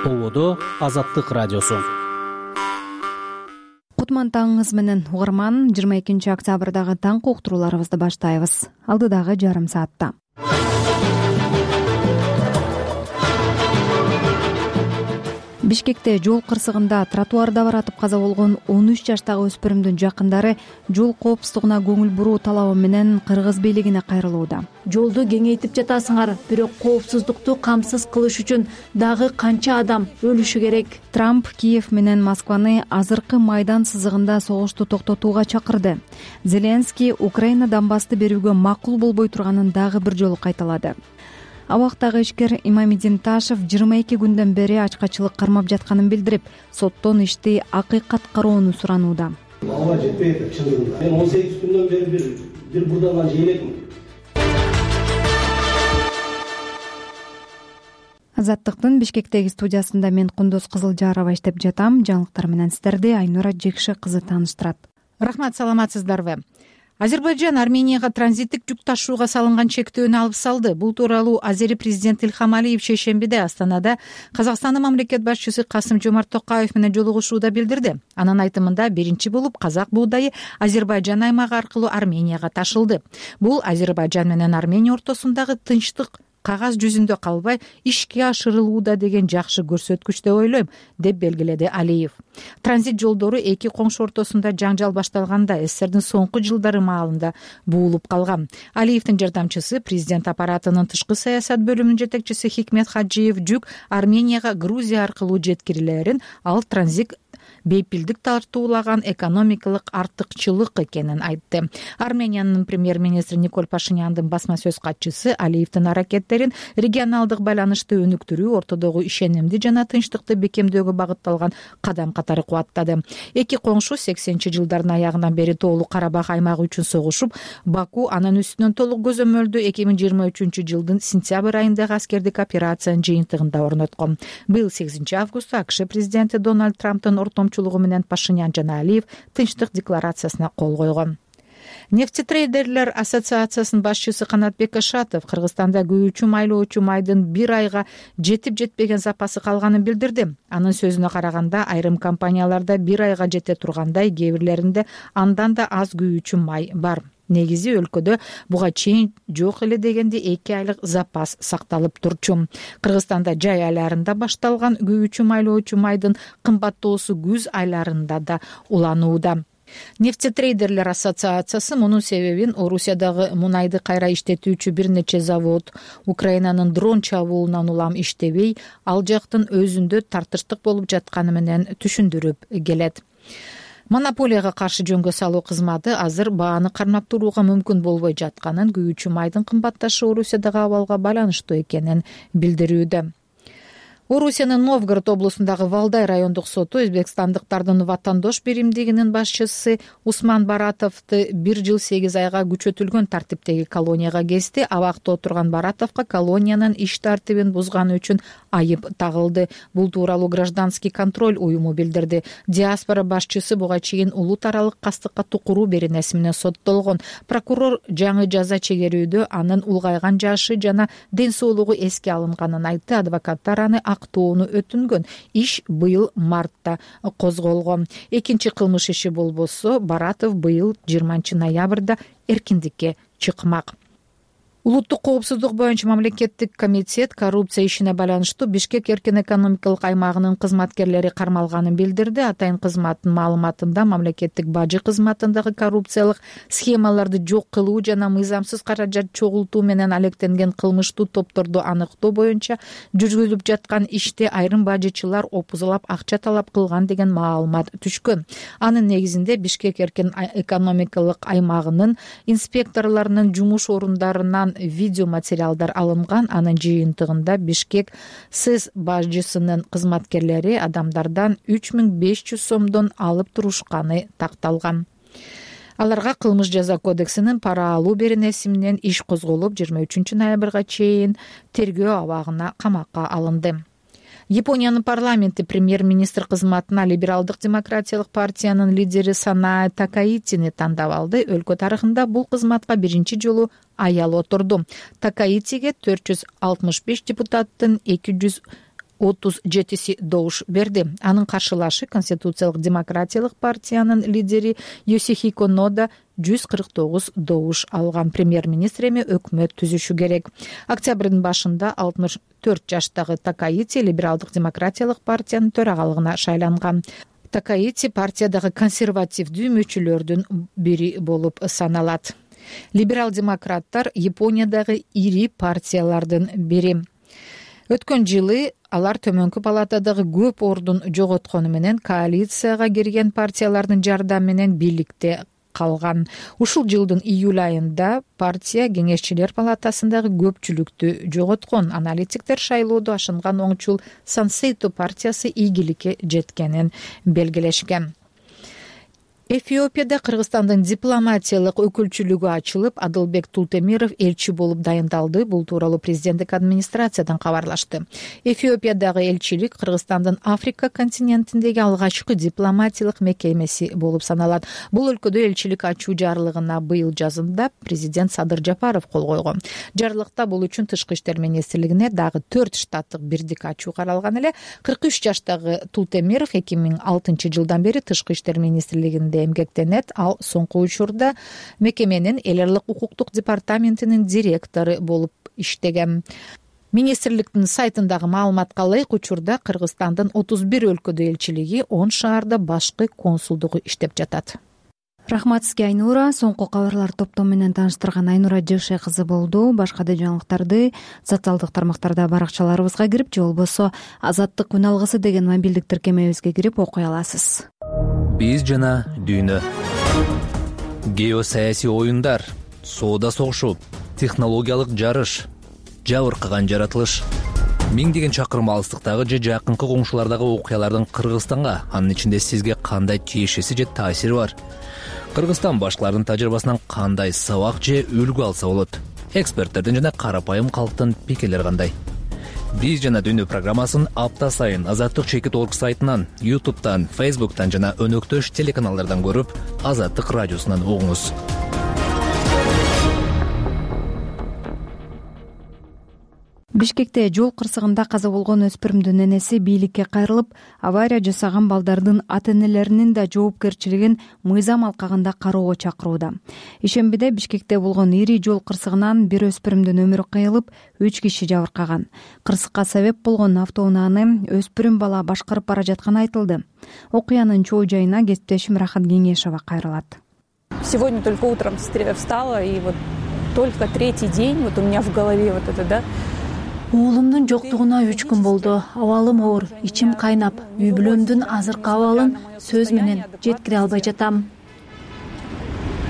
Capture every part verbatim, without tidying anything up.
Ободо Азаттык радиосу. Кутман таңыңыз менен угарман, жыйырма экинчи октябрдагы таң уктурууларыбызды баштайбыз. Алдыдагы жарым саатта. Бишкекте жол кырсыгында тротуарда баратып каза болгон он үч жаштагы өспүрүмдүн жакындары жол коопсуздугуна көңүл буруу талабы менен кыргыз бийлигине кайрылууда. Жолду кеңейтип жатасыңар, бирок коопсуздукту камсыз кылыш үчүн дагы канча адам өлүшү керек? Трамп Киев менен Москваны азыркы майдан сызыгында согушту токтотууга чакырды. Зеленский Украина Донбассты берүүгө макул болбой турганын дагы бир жолу кайталады. Абактагы ишкер Имамидин Ташев жыйырма эки күндөн бери ачкачылык кармап жатканын билдирип, соттон ишти акыйкат кароону суранууда. Ага жетпейт чындыгында. Мен он сегиз күндөн бери бир бир бурдалган жейлекмин. Азаттыктын Бишкектеги студиясында мен Кундуз Кызылжарова иштеп жатам. Жаңылыктар менен сиздерди Айнура Жекши кызы тааныштырат. Рахмат, саламатсыздарбы? Азербайжан Арменияга транзиттик жүк ташууга салынган чектөөнү алып салды. Бул тууралуу Азери президент Илхам Алиев шейшембиде Астанада Казакстандын мамлекет башчысы Касым-Жомарт Токаев менен жолугушууда билдирди. Анын айтымында биринчи болуп казак буудайы Азербайжан аймагы аркылуу Арменияга ташылды. Бул Азербайжан менен Армения ортосундагы тынчтык кагаз жүзүндө калбай ишке ашырылууда деген жакшы көрсөткүч деп ойлойм, деп белгиледи Алиев. Транзит жолдору эки коңшу ортосунда жаңжал башталганда СССРдин соңку жылдары маалында буулуп калган. Алиевдин жардамчысы, президент аппаратынын тышкы саясат бөлүмүнүн жетекчиси Хикмет Хаджиев жүк Арменияга Грузия аркылуу жеткирилерин ал транзит бейпилдик тартуулаган экономикалык артыкчылык экенин айтты. Армениянын премьер-министри Николь Пашиняндын басма сөз катчысы Алиевдин аракеттерин регионалдык байланышты өнүктүрүү, ортодогу ишенимди жана тынчтыкты бекемдөөгө багытталган кадам катары кубаттады. Эки коңшу сексенинчи жылдардын аягынан бери тоолуу Карабах аймагы үчүн согушуп, Баку анын үстүнөн толук көзөмөлдүү эки миң жыйырма үчүнчү жылдын сентябрь айындагы аскердик операциянын жыйынтыгында орноткон. Быйыл сегизинчи августта АКШ президенти Дональд Трамптын ортомчулугу менен Пашинян жана Алиев тынчтык декларациясына кол койгон. Нефтетрейдерлер ассоциациясынын башчысы Канатбек Ашатов Кыргызстанда күйүүчү майлоочу майдын бир айга жетип жетпеген запасы калганын билдирди. Анын сөзүнө караганда, айрым компанияларда бир айга жете тургандай, кээ бирлеринде андан да аз күйүүчү май бар. Негизи өлкөдө буга чейин жок эле дегенде эки айлык запас сакталып турчу. Кыргызстанда жай айларында башталган күйүүчү майлоочу майдын кымбаттоосу күз айларында да уланууда. Нефтетрейдерлер ассоциациясы мунун себебин Орусиядагы мунайды кайра иштетүүчү бир нече завод Украинанын дрон чабуулунан улам иштебей, ал жактын өзүндө тартыштык болуп жатканы менен түшүндүрүп келет. Монополияга каршы жөнгө салуу кызматы азыр бааны кармап турууга мүмкүн болбой жатканын, күйүүчү майдын кымбатташы Орусиядагы абалга байланыштуу экенин билдирүүдө. Орусиянын Новгород облусундагы Валдай райондук соту өзбекстандыктардын ватандош биримдигинин башчысы Усман Баратовду бир жыл сегиз айга күчөтүлгөн тартиптеги колонияга кести. Абакта отурган Баратовго колониянын иш тартибин бузганы үчүн айып тагылды. Бул тууралуу гражданский контроль уюму билдирди. Диаспора башчысы буга чейин улут аралык кастыкка тукуруу беренеси менен соттолгон. Прокурор жаңы жаза чегерүүдө анын улгайган жашы жана ден соолугу эске алынганын айтты. Адвокаттар аны актоону өтүнгөн. Иш быйыл мартта козголгон. Экинчи кылмыш иши болбосо Баратов быйыл жыйырманчы ноябрда эркиндикке чыкмак. Улуттук коопсуздук боюнча мамлекеттик комитет коррупция ишине байланыштуу Бишкек эркин экономикалык аймагынын кызматкерлери кармалганын билдирди. Атайын кызматтын маалыматында мамлекеттик бажы кызматындагы коррупциялык схемаларды жок кылуу жана мыйзамсыз каражат чогултуу менен алектенген кылмыштуу топторду аныктоо боюнча жүргүзүлүп жаткан иште айрым бажычылар опузалап акча талап кылган деген маалымат түшкөн. Анын негизинде Бишкек эркин экономикалык аймагынын инспекторлорунун жумуш орундарынан видео материалдар алынган. Анын жыйынтыгында Бишкек СЭС бажчысынын кызматкерлери адамдардан үч миң беш жүз сомдон алып турушканы такталган. Аларга кылмыш жаза кодексинин пара алуу беренеси менен иш козголуп, жыйырма үчүнчү ноябрга чейин тергөө абагына камакка алынды. Япониянын парламенти премьер-министр кызматына либералдык демократиялык партиянын лидери Санаа Такаитини тандап алды. Өлкө тарыхында бул кызматка биринчи жолу аял отурду. Такаитиге төрт жүз алтымыш беш депутаттын эки жүз отуз жетиси добуш берди. Анын каршылашы Конституциялык демократиялык партиянын лидери Йосихико Нода жүз кырк тогуз добуш алган. Премьер-министр эми өкмөт түзүшү керек. Октябрдын башында алтымыш төрт жаштагы Такаити либералдык демократиялык партиянын төрагалыгына шайланган. Такаити партиядагы консервативдүү мүчөлөрдүн бири болуп саналат. Либерал-демократтар Япониядагы ири партиялардын бири. Өткөн жылы алар төмөнкү палатадагы көп ордун жоготкону менен коалицияга кирген партиялардын жардамы менен бийликте калган. Ушул жылдын июль айында партия кеңешчилер палатасындагы көпчүлүктү жоготкон. Аналитиктер шайлоодо ашынган оңчул Сансейто партиясы ийгиликке жеткенин белгилешкен. Эфиопияда Кыргызстандын дипломатиялык өкүлчүлүгү ачылып, Адылбек Тултемиров элчи болуп дайындалды. Бул тууралуу президенттик администрациядан кабарлашты. Эфиопиядагы элчилик Кыргызстандын Африка континентиндеги алгачкы дипломатиялык мекемеси болуп саналат. Бул өлкөдө элчилик ачуу жарлыгына быйыл жазында президент Садыр Жапаров кол койгон. Жарлыкта бул үчүн Тышкы иштер министрлигине дагы төрт штаттык бирдик ачуу каралган эле. кырк үч жаштагы Тултемиров эки миң алтынчы жылдан бери Тышкы иштер министрлигинде эмгектенет. Ал соңку учурда мекеменин эл аралык укуктук департаментинин директору болуп иштеген. Министрликтин сайтындагы маалыматка ылайык, учурда Кыргызстандын отуз бир өлкөдө элчилиги, он шаарда башкы консулдугу иштеп жатат. Рахмат сизге, Айнура. Соңку кабарлар топтому менен тааныштырган Айнура Жеше кызы болду. Башка да жаңылыктарды социалдык тармактарда баракчаларыбызга кирип, же болбосо Азаттык күн алгысы деген мобилдик тиркемебизге кирип окуй аласыз. Биз жана дүйнө. Геосаясий оюндар, соода согушу, технологиялык жарыш, жабыркаган жаратылыш. Миңдеген чакырым алыстыктагы же жакынкы коңшулардагы окуялардын Кыргызстанга, анын ичинде сизге кандай тиешеси же таасири бар? Кыргызстан башкалардын тажрыйбасынан кандай сабак же үлгү алса болот? Эксперттердин жана карапайым калктын пикирлери кандай? Биз жана дүйнө программасын апта сайын Азаттык чекит точка орг сайтынан, ютубтан, фейсбуктан жана өнөктөш телеканалдардан көрүп, Азаттык радиосунан угуңуз. Бишкекте жол кырсыгында каза болгон өспүрүмдүн энеси бийликке кайрылып, авария жасаган балдардын ата-энелеринин да жоопкерчилигин мыйзам алкагында кароого чакырууда. Ишембиде Бишкекте болгон ири жол кырсыгынан бир өспүрүмдүн өмүрү кыйылып, үч киши жабыркаган. Кырсыкка себеп болгон автоунааны өспүрүм бала башкарып бара жатканы айтылды. Окуянын чоо жайына кесиптешим Рахат Кеңешова кайрылат. Сегодня только утром встала, и вот только третий день вот у меня в голове вот это, да. Уулумдун жоктугуна үч күн болду. Абалым оор, ичим кайнап, үй бүлөмдүн азыркы абалын сөз менен жеткире албай жатам.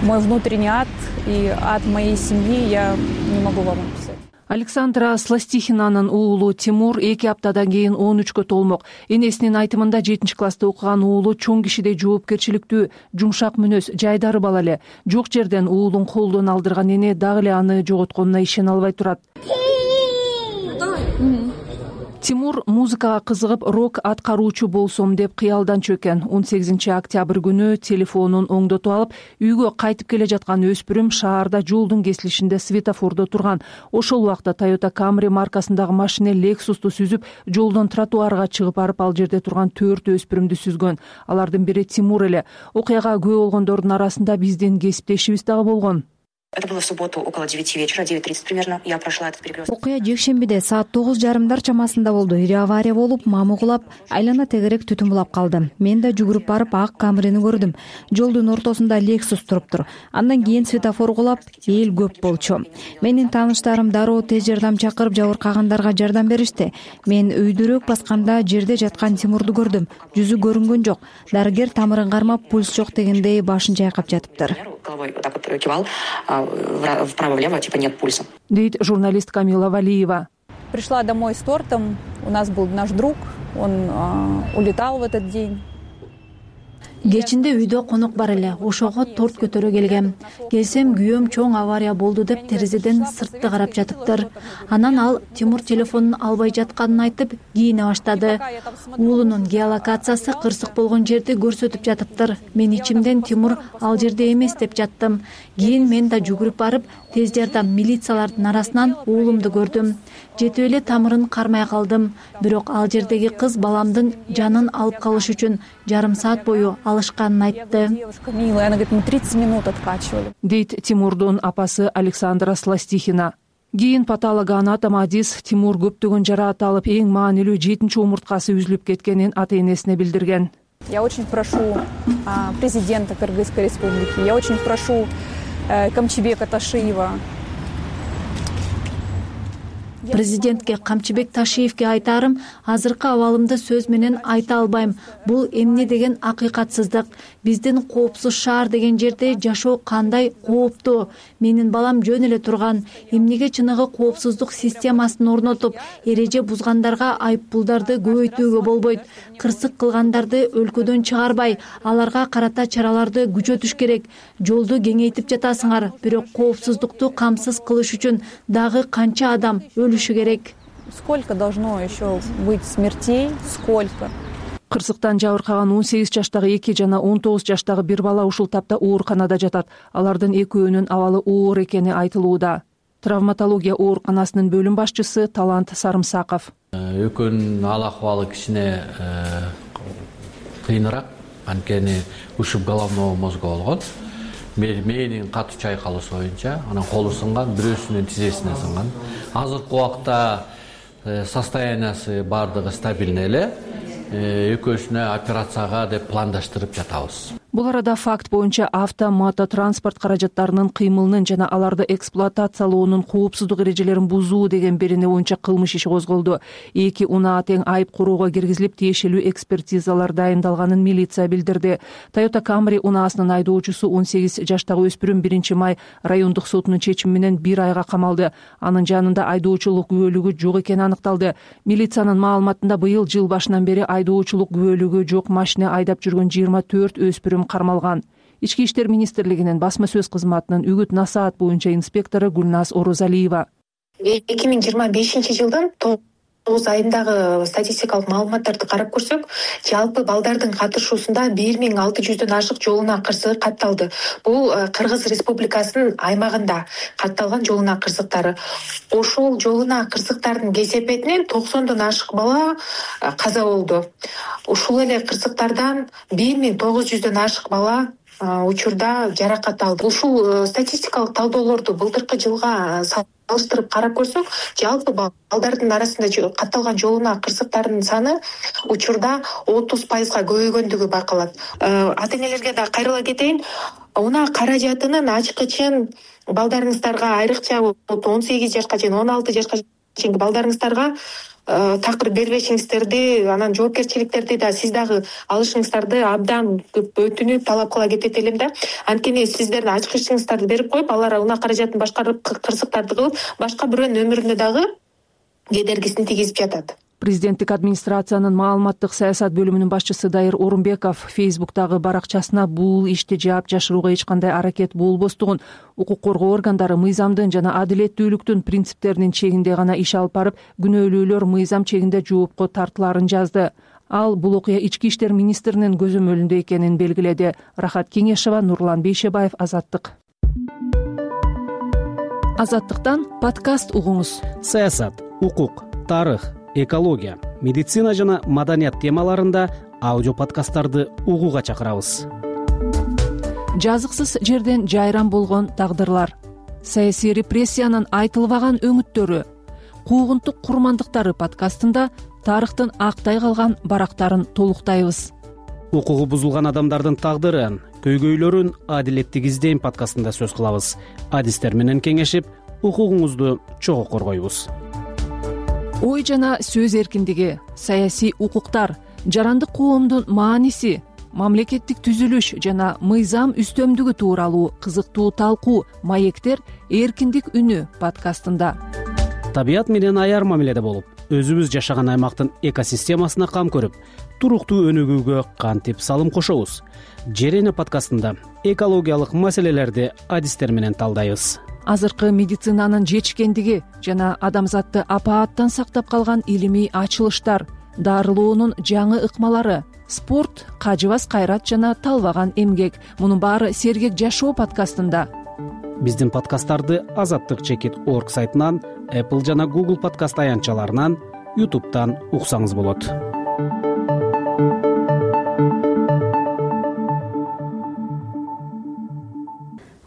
Мой внутренний ад и ад моей семьи я не могу вам описать. Александра Сластихинанын уулу Тимур эки аптадан кийин он үчкө толмок. Энесинин айтымында жетинчи класста окуган уулу чоң кишидей жоопкерчиликтүү, жумшак мүнөз, жайдары бала эле. Жок жерден уулун колдон алдырган эне дагы эле аны жоготконуна ишене албай турат. Тимур музыкага кызыгып, рок аткаруучу болсом деп кыялдан чөккөн. он сегизинчи октябрь күнү телефонун оңдотуп алып, үйгө кайтып келе жаткан өспүрүм шаарда жолдун кесилишинде светофордо турган. Ошол убакта Toyota Camry маркасындагы машина Lexus'ту сүзүп, жолдон тротуарга чыгып барып, ал жерде турган төрт өспүрүмдү сүзгөн. Алардын бири Тимур эле. Окуяга күбө болгондордун арасында биздин кесиптешибиз дагы болгон. Это было в субботу около девяти вечера, девять тридцать примерно. Я прошла этот перекресток. Окуя жекшембиде саат тогуз жарымдар чамасында болду. Ири авария болуп, мамы кулап, айлана тегерек түтүн булап калды. Мен да жүгүрүп барып ак Камрини көрдүм. Жолдун ортосунда Lexus туруптур. Андан кийин светофор кулап, эл көп болчу. Менин тааныштарым дароо тез жардам чакырып, жабыркагандарга жардам беришти. Мен өйдөрөөк басканда жерде жаткан Тимурду көрдүм. Жүзү көрүнгөн жок. Дарыгер тамырын кармап, пульс жок дегендей башын чайкап жатыптыр. Головой вот так вот кивал вправо-влево, типа нет пульса. Дейт журналист Камила Валиева. Пришла домой с тортом. У нас был наш друг. Он а, улетал в этот день. кечинде үйдө конок бар эле, ошого торт көтөрө келгем. Келсем күйөөм чоң авария болду деп терезеден сыртты карап жатыптыр. Анан ал Тимур телефонун албай жатканын айтып кийине баштады. Уулунун геолокациясы кырсык болгон жерди көрсөтүп жатыптыр. Мен ичимден Тимур ал жерде эмес деп жаттым. Кийин мен да жүгүрүп барып, тез жардам милициялардын арасынан уулумду көрдүм. Жетип эле тамырын кармай калдым. Бирок ал жердеги кыз баламдын жанын алып калыш үчүн жарым саат бою алышканын айтты. Милая, она говорит, мы тридцать минут откачивали. Дейт Тимурдун апасы Александра Сластихина. Кийин патологоанатом Адис Тимур көптөгөн жараат алып, эң маанилүү жетинчи умурткасы үзүлүп кеткенин ата-энесине билдирген. Я очень прошу а, президента Кыргызской республики, я очень прошу а, Камчыбека Ташиева. Президентке Камчыбек Ташиевке айтарым, азыркы абалымды сөз менен айта албайм. Бул эмне деген акыйкатсыздык. Биздин коопсуз шаар деген жерде жашоо кандай кооптуу. Менин балам жөн эле турган. Эмнеге чыныгы коопсуздук системасын орнотуп, эреже бузгандарга айыппулдарды көбөйтүүгө болбойт. Кырсык кылгандарды өлкөдөн чыгарбай, аларга карата чараларды күчөтүш керек. Жолду кеңейтип жатасыңар, бирок коопсуздукту камсыз кылыш үчүн дагы канча адам өлүшү керек. Сколько должно еще быть смертей? Сколько? Кырсыктан жабыркаган он сегиз жаштагы эки жана он тогуз жаштагы бир бала ушул тапта ооруканада жатат. Алардын экөөнүн абалы оор экени айтылууда. Травматология ооруканасынын бөлүм башчысы Талант Сарымсаков. Экөөнүн ал акыбалы кичине кыйыныраак, анткени ушуп головного мозга болгон. Мээнин катуу чайкалышы боюнча, анан колу сынган, бирөөсүнүн тизесине сынган. Азыркы убакта состояниясы бардыгы стабильный эле. Экөөсүнө операцияга деп пландаштырып жатабыз. Бул арада факт боюнча авто мототранспорт каражаттарынын кыймылынын жана аларды эксплуатациялоонун коопсуздук эрежелерин бузуу деген берене боюнча кылмыш иши козголду. Эки унаа тең айып куроого киргизилип, тиешелүү экспертизалар дайындалганын милиция билдирди. Toyota Camry унаасынын айдоочусу он сегиз жаштагы өспүрүм биринчи май райондук сотунун чечими менен бир айга камалды. Анын жанында айдоочулук күбөлүгү жок экени аныкталды. Милициянын маалыматында быйыл жыл башынан бери айдоочулук күбөлүгү жок машина айдап жүргөн жыйырма төрт өспүрүм кармалган. Ички иштер министрлигинин басма сөз кызматынын үгүт насаат боюнча инспектору Гүлназ Орозалиева. эки миң жыйырма бешинчи жылдын тогуз айындагы статистикалык маалыматтарды карап көрсөк, жалпы балдардын катышуусунда бир миң алты жүздөн ашык жол унаа кырсыгы катталды. Бул Кыргыз Республикасынын аймагында катталган жол унаа кырсыктары. Ошол жол унаа кырсыктардын кесепетинен токсондон ашык бала каза болду. Ушул эле кырсыктардан бир миң тогуз жүздөн ашык бала учурда жаракат алды. Ушул статистикалык талдоолорду былтыркы жылга салыштырып карап көрсөк, жалпы балдардын арасында катталган жол унаа кырсыктарынын саны учурда отуз пайызга көбөйгөндүгү байкалат. Ата-энелерге да кайрыла кетейин. Унаа каражатынын ачкычын балдарыңыздарга, айрыкча он сегиз жашка чейин, он алты жашка чейинки балдарыңыздарга такыр бербешиңиздерди, анан жоопкерчиликтерди да сиз дагы алышыңыздарды абдан өтүнүп талап кыла кетет элем да. Анткени сиздердин ачкычыңыздарды берип коюп, алар унаа каражатын башкарып, кырсыктарды кылып, башка бирөөнүн өмүрүнө дагы кедергисин тийгизип жатат. Президенттик администрациянын маалыматтык саясат бөлүмүнүн башчысы Дайыр Орунбеков Фейсбуктагы баракчасына бул ишти жаап жашырууга эч кандай аракет болбостугун, укук коргоо органдары мыйзамдын жана адилеттүүлүктүн принциптеринин чегинде гана иш алып барып, күнөөлүүлөр мыйзам чегинде жоопко тартыларын жазды. Ал бул окуя ички иштер министринин көзөмөлүндө экенин белгиледи. Рахат Кеңешева, Нурлан Бейшебаев, Азаттык. Азаттыктан подкаст угуңуз. Саясат, укук, тарых, экология, медицина жана маданият темаларында аудио подкасттарды угууга чакырабыз. Жазыксыз жерден жайран болгон тагдырлар, саясий репрессиянын айтылбаган өңүттөрү, куугунтук курмандыктары подкастында тарыхтын актай калган барактарын толуктайбыз. Укугу бузулган адамдардын тагдырын, көйгөйлөрүн адилеттик издейм подкастында сөз кылабыз. Адистер менен кеңешип, укугуңузду чогуу коргойбуз. Ой жана сөз эркиндиги, саясий укуктар, жарандык коомдун мааниси, мамлекеттик түзүлүш жана мыйзам үстөмдүгү тууралуу кызыктуу талкуу маектер эркиндик үнү подкастында. Табият менен аяр мамиледе болуп, өзүбүз жашаган аймактын экосистемасына кам көрүп, туруктуу өнүгүүгө кантип салым кошобуз? Жерене подкастында экологиялык маселелерди адистер менен талдайбыз. Азыркы медицинанын жетишкендиги жана адамзатты апааттан сактап калган илимий ачылыштар, дарылоонун жаңы ыкмалары, спорт, кажыбас кайрат жана талбаган эмгек — мунун баары Сергек жашоо подкастында. Биздин подкасттарды азаттык чекит точка орг сайтынан, Apple жана Google подкаст аянтчаларынан, YouTube'дан уксаңыз болот.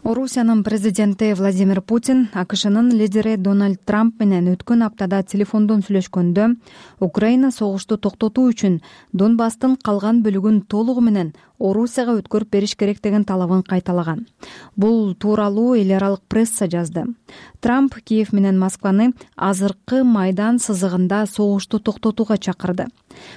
Орусиянын президенти Владимир Путин АКШнын лидери Дональд Трамп менен өткөн аптада телефондон сүйлөшкөндө Украина согушту токтотуу үчүн Донбасстын калган бөлүгүн толугу менен Орусияга өткөрүп бериш керек деген талабын кайталаган. Бул тууралуу эл аралык пресса жазды. Трамп Киев менен Москваны азыркы майдан сызыгында согушту токтотууга чакырды.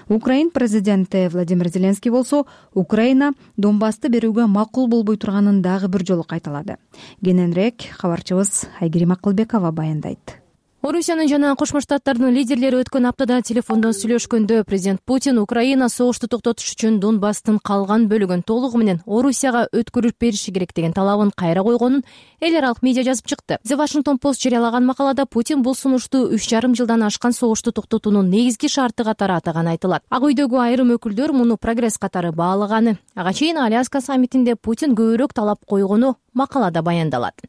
Украин президенти Владимир Зеленский болсо Украина Донбассты берүүгө макул болбой турганын дагы бир жолу кайталады. Кененирээк кабарчыбыз Айгерим Акылбекова баяндайт. Орусиянын жана Кошмо Штаттардын лидерлери өткөн аптада телефондон сүйлөшкөндө президент Путин Украина согушту токтотуш үчүн Донбасстын калган бөлүгүн толугу менен Орусияга өткөрүп бериши керек деген талабын кайра койгонун эл аралык медиа жазып чыкты. The Washington Post жарыялаган макалада Путин бул сунушту үч жарым жылдан ашкан согушту токтотуунун негизги шарты катары атаганы айтылат. Ак үйдөгү айрым өкүлдөр муну прогресс катары баалаганы. Ага чейин Аляска саммитинде Путин көбүрөөк талап койгону макалада баяндалат.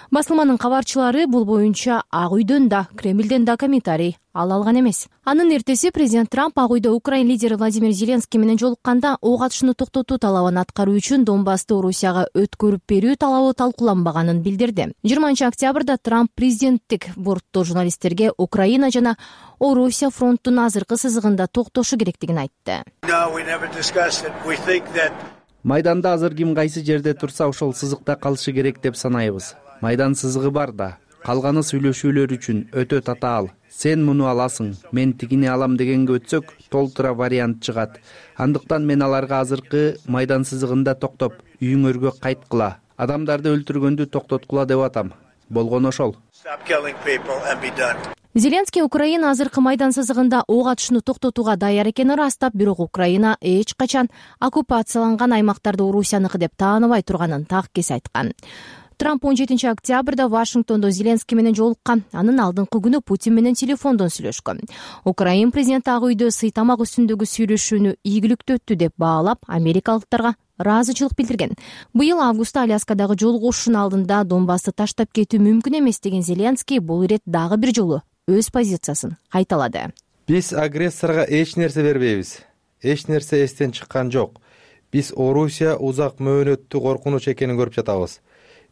Басылманын кабарчылары бул боюнча Ак үйдөн да, Кремлден да комментарий ала алган эмес. Анын эртеси президент Трамп Ак үйдө Украин лидери Владимир Зеленский менен жолукканда ок атышууну токтотуу талабын аткаруу үчүн Донбассты Орусияга өткөрүп берүү талабы талкууланбаганын билдирди. жыйырманчы октябрда Трамп президенттик бортто журналисттерге Украина жана Орусия фронттун азыркы сызыгында токтошу керектигин айтты. Майданда азыр ким кайсы жерде турса ошол сызыкта калышы керек деп санайбыз. Майдан сызыгы бар да, калганы сүйлөшүүлөр үчүн өтө татаал. Сен муну аласың, мен тигини алам дегенге өтсөк, толтура вариант чыгат. Андыктан мен аларга азыркы майдан сызыгында токтоп, үйүңөргө кайткыла, адамдарды өлтүргөндү токтоткула деп атам. Болгон ошол. Зеленский Украина азыркы майдан сызыгында ок атышууну токтотууга даяр экенин ырастап, бирок Украина эч качан оккупацияланган аймактарды Орусияныкы деп тааныбай турганын таккес айткан. Трамп он жетинчи октябрда Вашингтондо Зеленский менен жолуккан. Анын алдыңкы күнү Путин менен телефондон сүйлөшкөн. Украин президенти Ак үйдө сыйтамак үстүндөгү сүйлөшүүнү ийгиликтүү өттү деп баалап, америкалыктарга ыраазычылык билдирген. Быйыл августта Аляскадагы жолугушуунун алдында Донбассты таштап кетүү мүмкүн эмес деген Зеленский бул ирет дагы бир жолу өз позициясын кайталады. Биз агрессорго эч нерсе бербейбиз. Эч нерсе эстен чыккан жок. Биз Орусия узак мөөнөттүү коркунуч экенин көрүп жатабыз.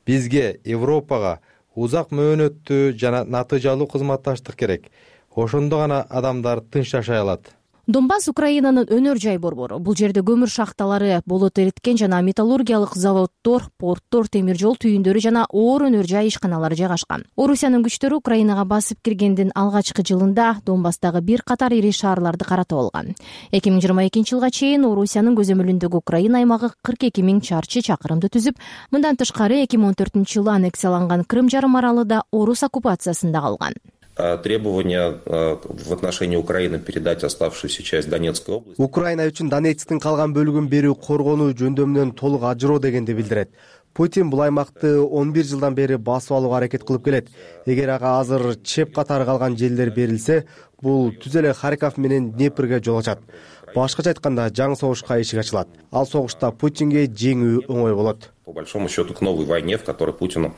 Бизге, Европага узак мөөнөттүү жана натыйжалуу кызматташтык керек. Ошондо гана адамдар тынч жашай алат. Донбасс Украинанын өнөр жай борбору. Бул жерде көмүр шахталары, болот эриткен жана металлургиялык заводдор, порттор, темир жол түйүндөрү жана оор өнөр жай ишканалары жайгашкан. Орусиянын күчтөрү Украинага басып киргендин алгачкы жылында Донбасстагы бир катар ири шаарларды каратып алган. эки миң жыйырма экинчи жылга чейин Орусиянын көзөмөлүндөгү Украина аймагы кырк эки миң чарчы чакырымды түзүп, мындан тышкары эки миң он төртүнчү жылы аннексияланган Крым жарым аралы да орус оккупациясында калган. Требования в отношении Украины передать оставшуюся часть Донецкой области. Украина үчүн Донецктин калган бөлүгүн берүү коргонуу жөндөмүнөн толук ажыроо дегенди билдирет. Путин бул аймакты он бир жылдан бери басып алууга аракет кылып келет. Эгер ага азыр чеп катары калган жерлер берилсе, бул түз эле Харьков менен Днепрге жол ачат. Башкача айтканда, жаңы согушка эшик ачылат. Ал согушта Путинге жеңүү оңой болот. По большому счету к новой войне, в которой Путину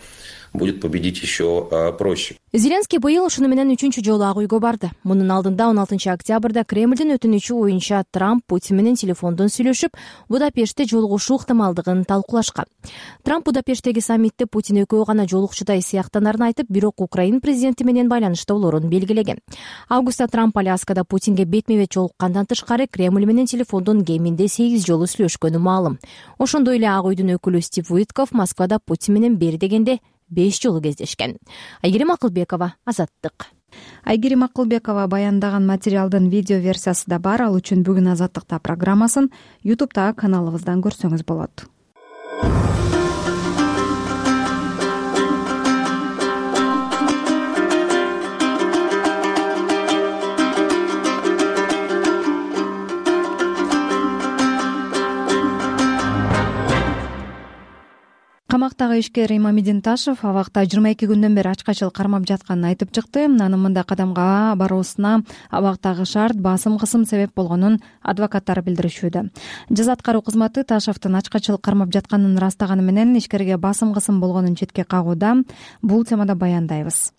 будет победить еще э, проще. Зеленский быйыл ушуну менен үчүнчү жолу Ак үйгө барды. Мунун алдында он алтынчы октябрда Кремлдин өтүнүчү боюнча Трамп Путин менен телефондон сүйлөшүп, Будапештте жолугушуу ыктымалдыгын талкуулашкан. Трамп Будапешттеги саммитте Путин экөө гана жолукчудай сыяктанарын айтып, бирок Украин президенти менен байланышта болорун белгилеген. Августта Трамп Аляскада Путинге бетме-бет жолуккандан тышкары Кремль менен телефондон кеминде сегиз жолу сүйлөшкөнү маалым. Ошондой эле Ак үйдүн өкүлү Стив Уитков Москвада Путин менен бери дегенде беш жолу кездешкен. Айгерим Акылбекова, Азаттык. Айгерим Акылбекова баяндаган материалдын видео версиясы да бар. Ал үчүн бүгүн Азаттыкта программасын YouTube'тагы каналыбыздан көрсөңүз болот. камактагы ишкер Имамидин Ташев абакта жыйырма эки күндөн бери ачкачыл кармап жатканын айтып чыкты. Анын мындай кадамга баруусуна абактагы шарт, басым, кысым себеп болгонун адвокаттары билдиришүүдө. Жаза аткаруу кызматы Ташевдин ачкачыл кармап жатканын ырастаганы менен ишкерге басым, кысым болгонун четке кагууда. Бул темада баяндайбыз.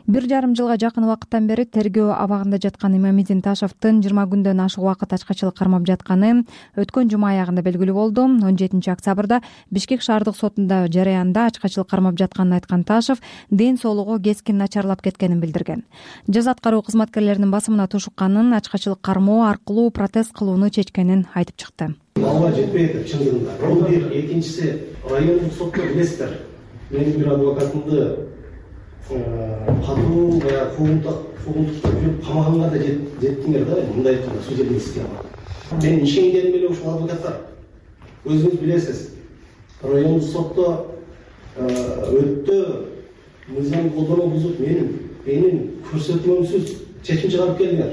Бир жарым жылга жакын убакыттан бери тергөө абагында жаткан Имамидин Ташевдин жыйырма күндөн ашык убакыт ачкачылык кармап жатканы өткөн жума аягында белгилүү болду. он жетинчи октябрда Бишкек шаардык сотунда жараянда ачкачылык кармап жатканын айткан Ташев ден соолугу кескин начарлап кеткенин билдирген. Жаза аткаруу кызматкерлеринин басымына тушукканын, ачкачылык кармоо аркылуу протез кылууну чечкенин айтып чыкты. Балга жетпей атат чындыгында. Бул бир, экинчиси райондук сотто билесиздер. Менин бир адвокатымды катуу баягы куугунтуктап жүрүп камаганга да жеттиңер да, мындай айтканда судебный система. Мен ишенгеним эле ушул адвокаттар. Өзүңүз билесиз, райондук сотто өтө мыйзам колдонуу бузуп менин менин көрсөтмөмсүз чечим чыгарып келдиңер.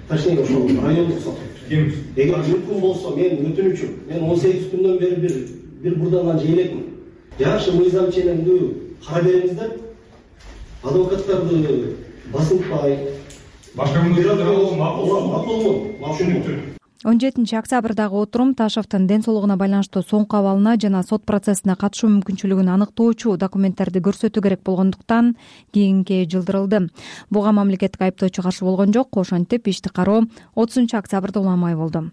Точнее, ошол райондук сот. Эгер мүмкүн болсо мен өтүнүчүм, мен он сегиз күндөн бери бир бир бурдандан жейлекмин. Жакшы мыйзам ченемдүү кара бериңиздер. Адвокаттарды басынтпай, башка мүмкүнчүлүктөр макул. он жетинчи октябрдагы отурум Ташевдин ден соолугуна байланыштуу соңку абалына жана сот процессине катышуу мүмкүнчүлүгүн аныктоочу документтерди көрсөтүү керек болгондуктан кийинге жылдырылды. Буга мамлекеттик айыптоочу каршы болгон жок. Ошентип ишти кароо отузунчу октябрда уламай болду.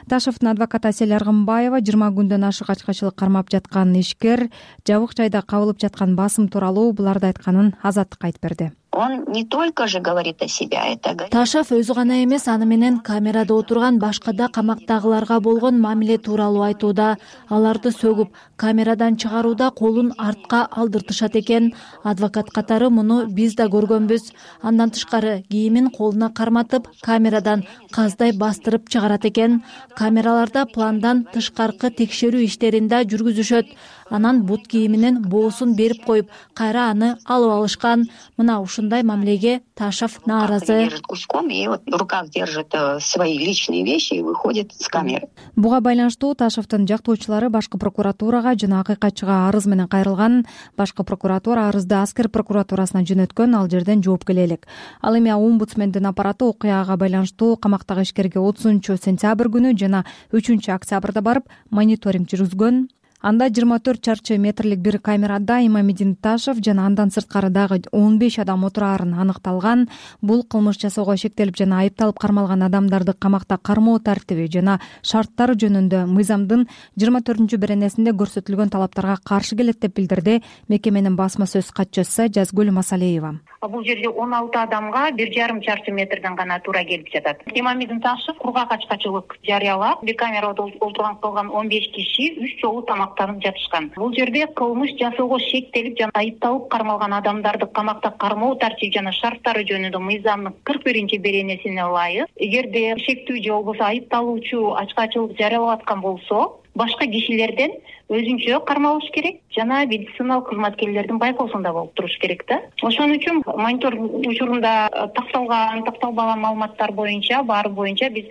Ташевдин адвокаты Асель Аргымбаева жыйырма күндөн ашык ачкачылык кармап жаткан ишкер жабык жайда кабылып жаткан басым тууралуу буларды айтканын Азаттыкка айтып берди. Он не только же говорит о себе, это говорит. Ташев өзү гана эмес, аны менен камерада отурган башка да камактагыларга болгон мамиле тууралуу айтууда. Аларды сөгүп, камерадан чыгарууда колун артка алдыртышат экен. Адвокат катары муну биз да көргөнбүз. Андан тышкары кийимин колуна карматып, камерадан каздай бастырып чыгарат экен. Камераларда пландан тышкаркы текшерүү иштерин да жүргүзүшөт. Анан бут кийиминин боосун берип коюп, кайра аны алып алышкан. Мына ушундай мамилеге Ташев нааразы. Держит куском и вот в руках держит свои личные вещи и выходит с камеры. Буга байланыштуу Ташевдин жактоочулары башкы прокуратурага жана акыйкатчыга арыз менен кайрылган. Башкы прокуратура арызды аскер прокуратурасына жөнөткөн, ал жерден жооп келе элек. Ал эми омбудсмендин аппараты окуяга байланыштуу камактагы ишкерге отузунчу сентябрь күнү жана үчүнчү октябрда барып мониторинг жүргүзгөн. Анда жыйырма төрт чарчы метрлик бир камерада Имамидин Ташев жана андан сырткары дагы он беш адам отурарын аныкталган. Бул кылмыш жасоого шектелип жана айыпталып кармалган адамдарды камакта кармоо тартиби жана шарттары жөнүндө мыйзамдын жыйырма төртүнчү беренесинде көрсөтүлгөн талаптарга каршы келет деп билдирди мекеменин басма сөз катчысы Жазгүл Масалеева. Бул жерде он алты адамга бир жарым чарчы метрден гана туура келип жатат. Имамидин Ташев кургак ачкачылык жарыялап, бир камерада отурган калган он беш киши үч жолу тамактанып жатышкан. Бул жерде кылмыш жасоого шектелип жана айыпталып кармалган адамдарды камакта кармоо тартиби жана шарттары жөнүндө мыйзамдын кырк биринчи беренесине ылайык, эгерде шектүү же болбосо айыпталуучу ачкачылык жарыялап аткан болсо, башка кишилерден өзүнчө кармалыш керек жана медициналык кызматкерлердин байкоосунда болуп туруш керек да. Ошон үчүн мониторинг учурунда такталган, такталбаган маалыматтар боюнча, баары боюнча биз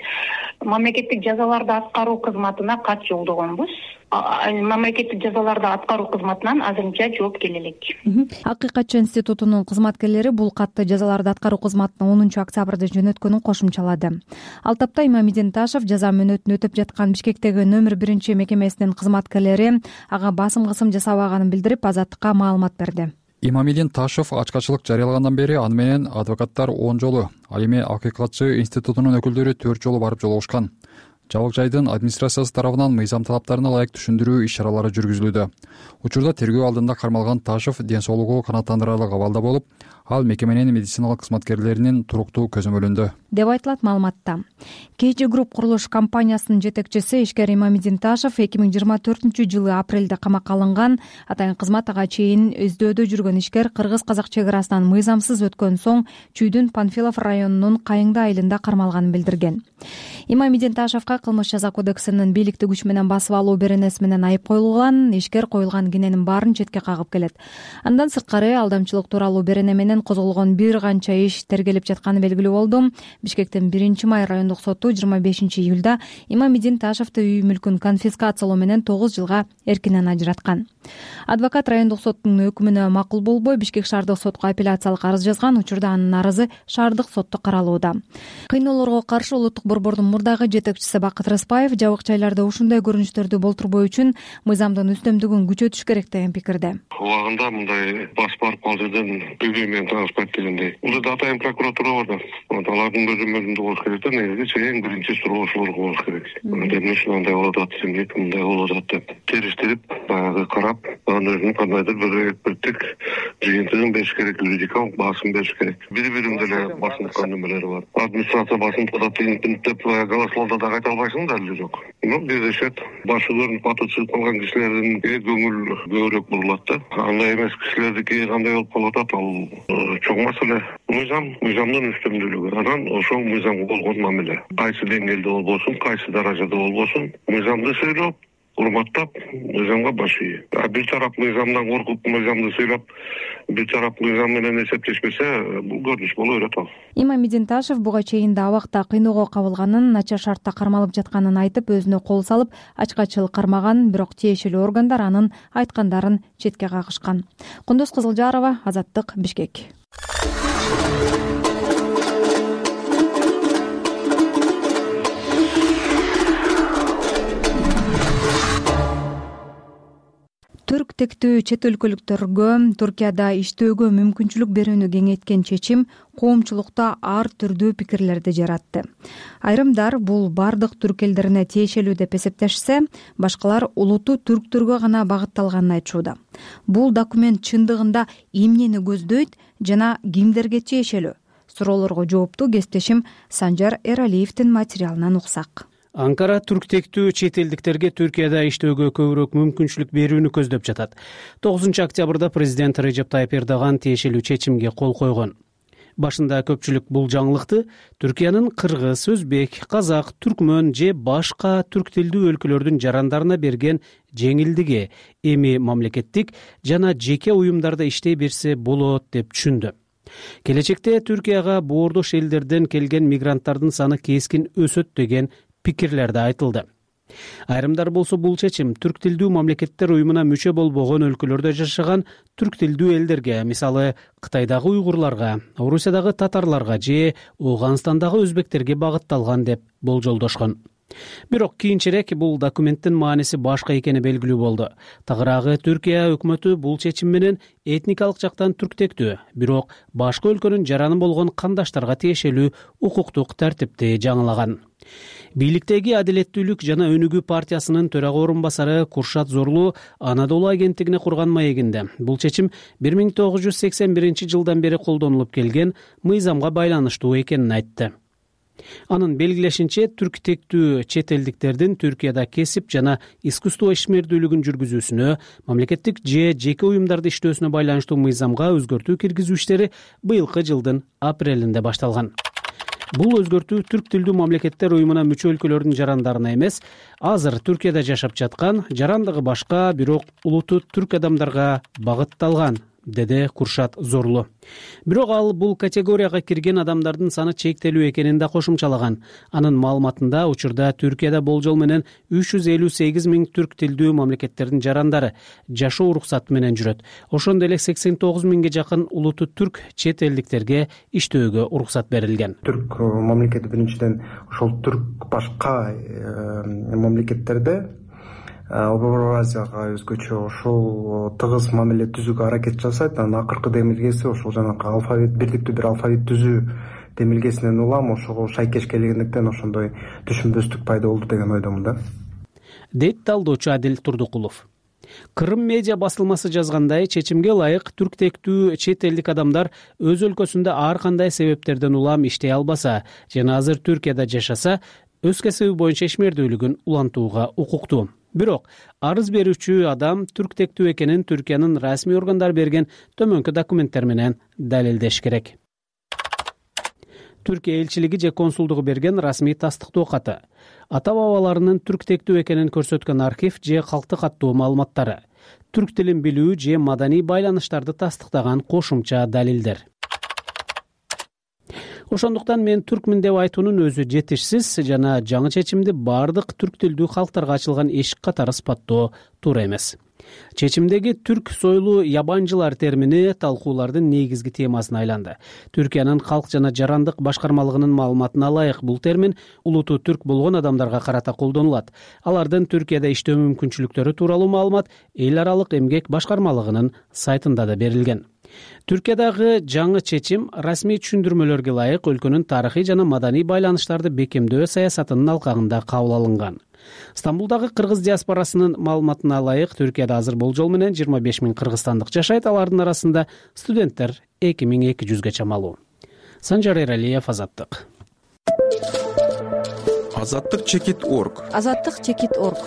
мамлекеттик жазаларды аткаруу кызматына кат жолдогонбуз. Мамлекеттик жазаларды аткаруу кызматынан азырынча жооп келе элек. Акыйкатчы институтунун кызматкерлери бул катты жазаларды аткаруу кызматына онунчу октябрда жөнөткөнүн кошумчалады. Ал тапта Имамидин Ташев жаза мөөнөтүн өтөп жаткан Бишкектеги номер биринчи мекемесинин кызматкерлери ага басым кысым жасабаганын билдирип, Азаттыкка маалымат берди. Имамидин Ташев ачкачылык жарыялагандан бери аны менен адвокаттар он жолу, ал эми акыйкатчы институтунун өкүлдөрү төрт жолу барып жолугушкан. Жабык жайдын администрациясы тарабынан мыйзам талаптарына ылайык түшүндүрүү иш-чаралары жүргүзүлүүдө. Учурда тергөө алдында кармалган Ташев ден соолугу канааттандырарлык абалда болуп, ал мекеменин медициналык кызматкерлеринин туруктуу көзөмөлүндө деп айтылат маалыматта. Кейжи Групп курулуш компаниясынын жетекчиси ишкер Имамидин Ташев эки миң жыйырма төртүнчү жылы апрелде камакка алынган. Атайын кызмат ага чейин өздөөдө жүргөн ишкер кыргыз-казак чек арасынан мыйзамсыз өткөн соң Чүйдүн Панфилов районунун Кайыңды айылында кармалганын билдирген. Имамидин Ташевка кылмыш жаза кодексинин бийликти күч менен басып алуу беренеси менен айып коюлган. Ишкер коюлган кененин баарын четке кагып келет. Андан сырткары алдамчылык тууралуу берене менен козголгон бир канча иш тергелип жатканы белгилүү болду. Бишкектин биринчи май райондук соту жыйырма бешинчи июлда Имамидин Ташевди үй мүлкүн конфискациялоо менен тогуз жылга эркинен ажыраткан. Адвокат райондук соттун өкүмүнө макул болбой Бишкек шаардык сотко апелляциялык арыз жазган. Учурда анын арызы шаардык сотто каралууда. Кыйноолорго каршы улуттук борбордун мурдагы жетекчиси Бакыт Рыспаев жабык жайларда ушундай көрүнүштөрдү болтурбоо үчүн мыйзамдын үстөмдүгүн күчөтүш керек деген пикирде. Убагында мындай бас барып кал жерден бүгүн менен тааныспайт дегендей. Бул жерде атайын прокуратура бар да. Алардын көзөмөлүндө болуш керек да, негизи эң биринчи суроошулар болуш керек. Эмне үчүн андай болуп атат, эмне мындай болуп атат деп териштирип, баягы карап, анын өзүнүн кандайдыр бир эксперттик жыйынтыгын бериш керек, юридикалык баасын бериш керек. Бири-бирин деле басынткан немелери бар. Администрация басынткан деп голословдо да айта албайсың да, эле жок. Ну, биздешет башыларын паты чыгып калган кишилердин көңүл көбүрөөк бурулат да. Андай эмес кишилердики кандай болуп калып атат, ал чоң маселе. Мыйзам, мыйзамдын үстөмдүүлүгү. Анан ошол мыйзамга болгон мамиле. Кайсы деңгээлде болбосун, кайсы даражада болбосун, мыйзамды сүйлөп, урматтап, мыйзамга баш ийүү. А бир тарап мыйзамдан коркуп, мыйзамды сүйлөп, бир тарап мыйзам менен эсептешпесе, бул көрүнүш боло берет ал. Имам Мединташев буга чейин да абакта кыйноого кабылганын, начар шартта кармалып жатканын айтып, өзүнө кол салып, ачкачылык кармаган, бирок тиешелүү органдар анын айткандарын четке кагышкан. Кундуз Кызылжарова, Азаттык, Бишкек. Түрк тектүү чет өлкөлүктөргө Туркияда иштөөгө мүмкүнчүлүк берүүнү кеңейткен чечим коомчулукта ар түрдүү пикирлерди жаратты. Айрымдар бул бардык түрк элдерине тиешелүү деп эсептешсе, башкалар улуттуу түрктөргө гана багытталганын айтышууда. Бул документ чындыгында эмнени көздөйт жана кимдерге тиешелүү? Суроолорго жоопту кесиптешим Санжар Эралиевдин материалынан уксак. Анкара түрк тектүү чет элдиктерге Түркияда иштөөгө көбүрөөк мүмкүнчүлүк берүүнү көздөп жатат. тогузунчу октябрда президент Режеп Тайып Эрдоган тиешелүү чечимге кол койгон. Башында көпчүлүк бул жаңылыкты Түркиянын кыргыз, өзбек, казак, түркмөн же башка түрк тилдүү өлкөлөрдүн жарандарына берген жеңилдиги эми мамлекеттик жана жеке уюмдарда иштей берсе болот деп түшүндү. Келечекте Түркияга боордош элдерден келген мигранттардын саны кескин өсөт деген пикирлер да айтылды. Айрымдар болсо бул чечим түрк тилдүү мамлекеттер уюмуна мүчө болбогон өлкөлөрдө жашаган түрк тилдүү элдерге, мисалы Кытайдагы уйгурларга, Орусиядагы татарларга же Ооганстандагы өзбектерге багытталган деп болжолдошкон. Бирок кийинчерээк бул документтин мааниси башка экени белгилүү болду. Тагыраагы Түркия өкмөтү бул чечим менен этникалык жактан түрктектүү, бирок башка өлкөнүн жараны болгон кандаштарга тиешелүү укуктук тартипти жаңылаган. Бийликтеги Адилеттүүлүк жана Өнүгүү партиясынын төрага орун басары Куршат Зорлу Анадолу агенттигине курган маегинде бул чечим бир миң тогуз жүз сексен биринчи жылдан бери колдонулуп келген мыйзамга байланыштуу экенин айтты. Анын белгилешинче, түрк тектүү чет элдиктердин Түркияда кесип жана искусство ишмердүүлүгүн жүргүзүүсүнө, мамлекеттик же жеке уюмдарда иштөөсүнө байланыштуу мыйзамга өзгөртүү киргизүү иштери быйылкы жылдын апрелинде башталган. Бул өзгөртүү түрк тилдүү мамлекеттер уюмуна мүчө өлкөлөрдүн жарандарына эмес, азыр Түркияда жашап жаткан, жарандыгы башка, бирок улуту түрк адамдарга багытталган, деди Куршат Зорлу. Бирок ал бул категорияга кирген адамдардын саны чектелүү экенин да кошумчалаган. Анын маалыматында учурда Түркияда болжол менен үч жүз элүү сегиз миң түрк тилдүү мамлекеттердин жарандары жашоо уруксаты менен жүрөт. Ошондой эле сексен тогуз миңге жакын улуту түрк чет элдиктерге иштөөгө уруксат берилген. Түрк мамлекети биринчиден ошол түрк башка мамлекеттерде Орто Азияга өзгөчө ошол тыгыз мамиле түзүүгө аракет жасайт. Анын акыркы демилгеси ошол жанагы алфавит, бирдиктүү бир алфавит түзүү демилгесинен улам ошого шайкеш келгендиктен ошондой түшүнбөстүк пайда болду деген ойдомун да. Дейт талдоочу Адил Турдукулов. Кырым медиа басылмасы жазгандай, чечимге ылайык түрк тектүү чет элдик адамдар өз өлкөсүндө ар кандай себептерден улам иштей албаса жана азыр Түркияда жашаса, өз кесиби боюнча ишмердүүлүгүн улантууга укуктуу. Бирок арыз берүүчү адам түрк тектүү экенин Түркиянын расмий органдары берген төмөнкү документтер менен далилдеш керек. Түркия элчилиги же консулдугу берген расмий тастыктоо каты, ата-бабаларынын түрк тектүү экенин көрсөткөн архив же калктык каттуу маалыматтары, түрк тилин билүү же маданий байланыштарды тастыктаган кошумча далилдер. Ошондуктан мен түркмүн деп айтуунун өзү жетишсиз жана жаңы чечимди бардык түрк тилдүү калктарга ачылган эшик катары сыпаттоо туура эмес. Чечимдеги түрк сойлуу ябанчылар термини талкуулардын негизги темасына айланды. Түркиянын калк жана жарандык башкармалыгынын маалыматына ылайык бул термин улуту түрк болгон адамдарга карата колдонулат. Алардын Түркияда иштөө мүмкүнчүлүктөрү тууралуу маалымат эл аралык эмгек башкармалыгынын сайтында да берилген. Түркиядагы жаңы чечим расмий түшүндүрмөлөргө ылайык өлкөнүн тарыхый жана маданий байланыштарды бекемдөө саясатынын алкагында кабыл алынган. Стамбулдагы кыргыз диаспорасынын маалыматына ылайык Түркияда азыр болжол менен жыйырма беш миң кыргызстандык жашайт, алардын арасында студенттер эки миң эки жүзгө чамалуу. Санжар Эралиев, Азаттык. Азаттык чекит орг. Азаттык чекит орг.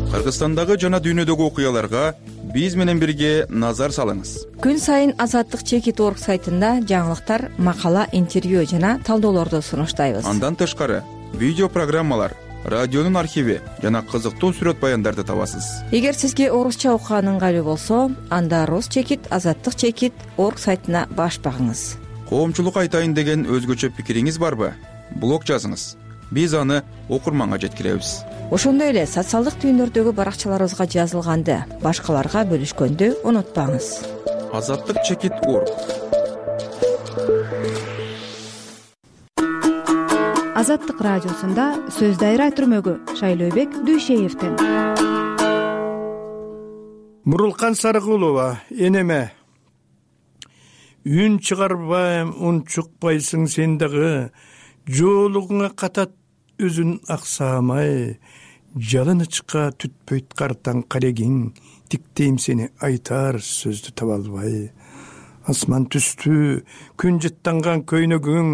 Кыргызстандагы жана дүйнөдөгү окуяларга биз менен бирге назар салыңыз. Күн сайын Азаттык чекит орг сайтында жаңылыктар, макала, интервью жана талдоолорду сунуштайбыз. Андан тышкары видео программалар, радионун архиви жана кызыктуу сүрөт баяндарды табасыз. Эгер сизге орусча окуган ыңгайлуу болсо, анда рус чекит азаттык чекит орг сайтына баш багыңыз. Коомчулук айтайын деген өзгөчө пикириңиз барбы? Блог жазыңыз. Биз аны окурманга жеткиребиз. Ошондой эле социалдык түйүндөрдөгү баракчаларыбызга жазылганды башкаларга бөлүшкөндү унутпаңыз. Азаттык чекит орг. Азаттык радиосунда сөз дайра түрмөгү Шайлообек Дүйшеевден. Мурулкан Сарыкулова, энеме. Үн чыгарбайм, ун чукпайсың сен дагы, жоолугуңа катат өзүн аксамай, жалынычка түтпөйт картаң карегиң, тиктейм сени айтар сөздү таба албай. Асман түстү, күн жыттанган көйнөгүң,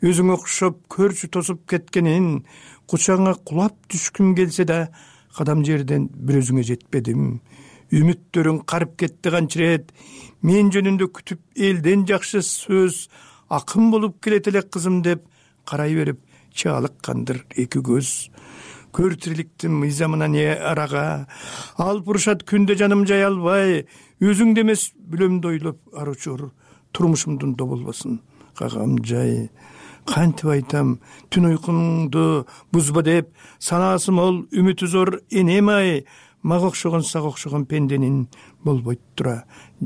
өзүң окшоп көрчү тосуп кеткенин, кучаңа кулап түшкүм келсе да, кадам жерден бир өзүңө жетпедим. Үмүттөрүң карып кетти канчырет, мен жөнүндө күтүп элден жакшы сөз, акын болуп келет эле кызым деп карай берип чаалыккандыр эки көз. Көр тириликтин мыйзамына не арага, алып урушат күндө жаным жай албай, өзүңдү эмес бүлөмдү ойлоп аручур, турмушумдун доболбосун кагам жай. Кантип айтам, түн уйкуңду бузба деп, санаасы мол, үмүтү зор энем ай, мага окшогон сага окшогон пенденин болбойт тура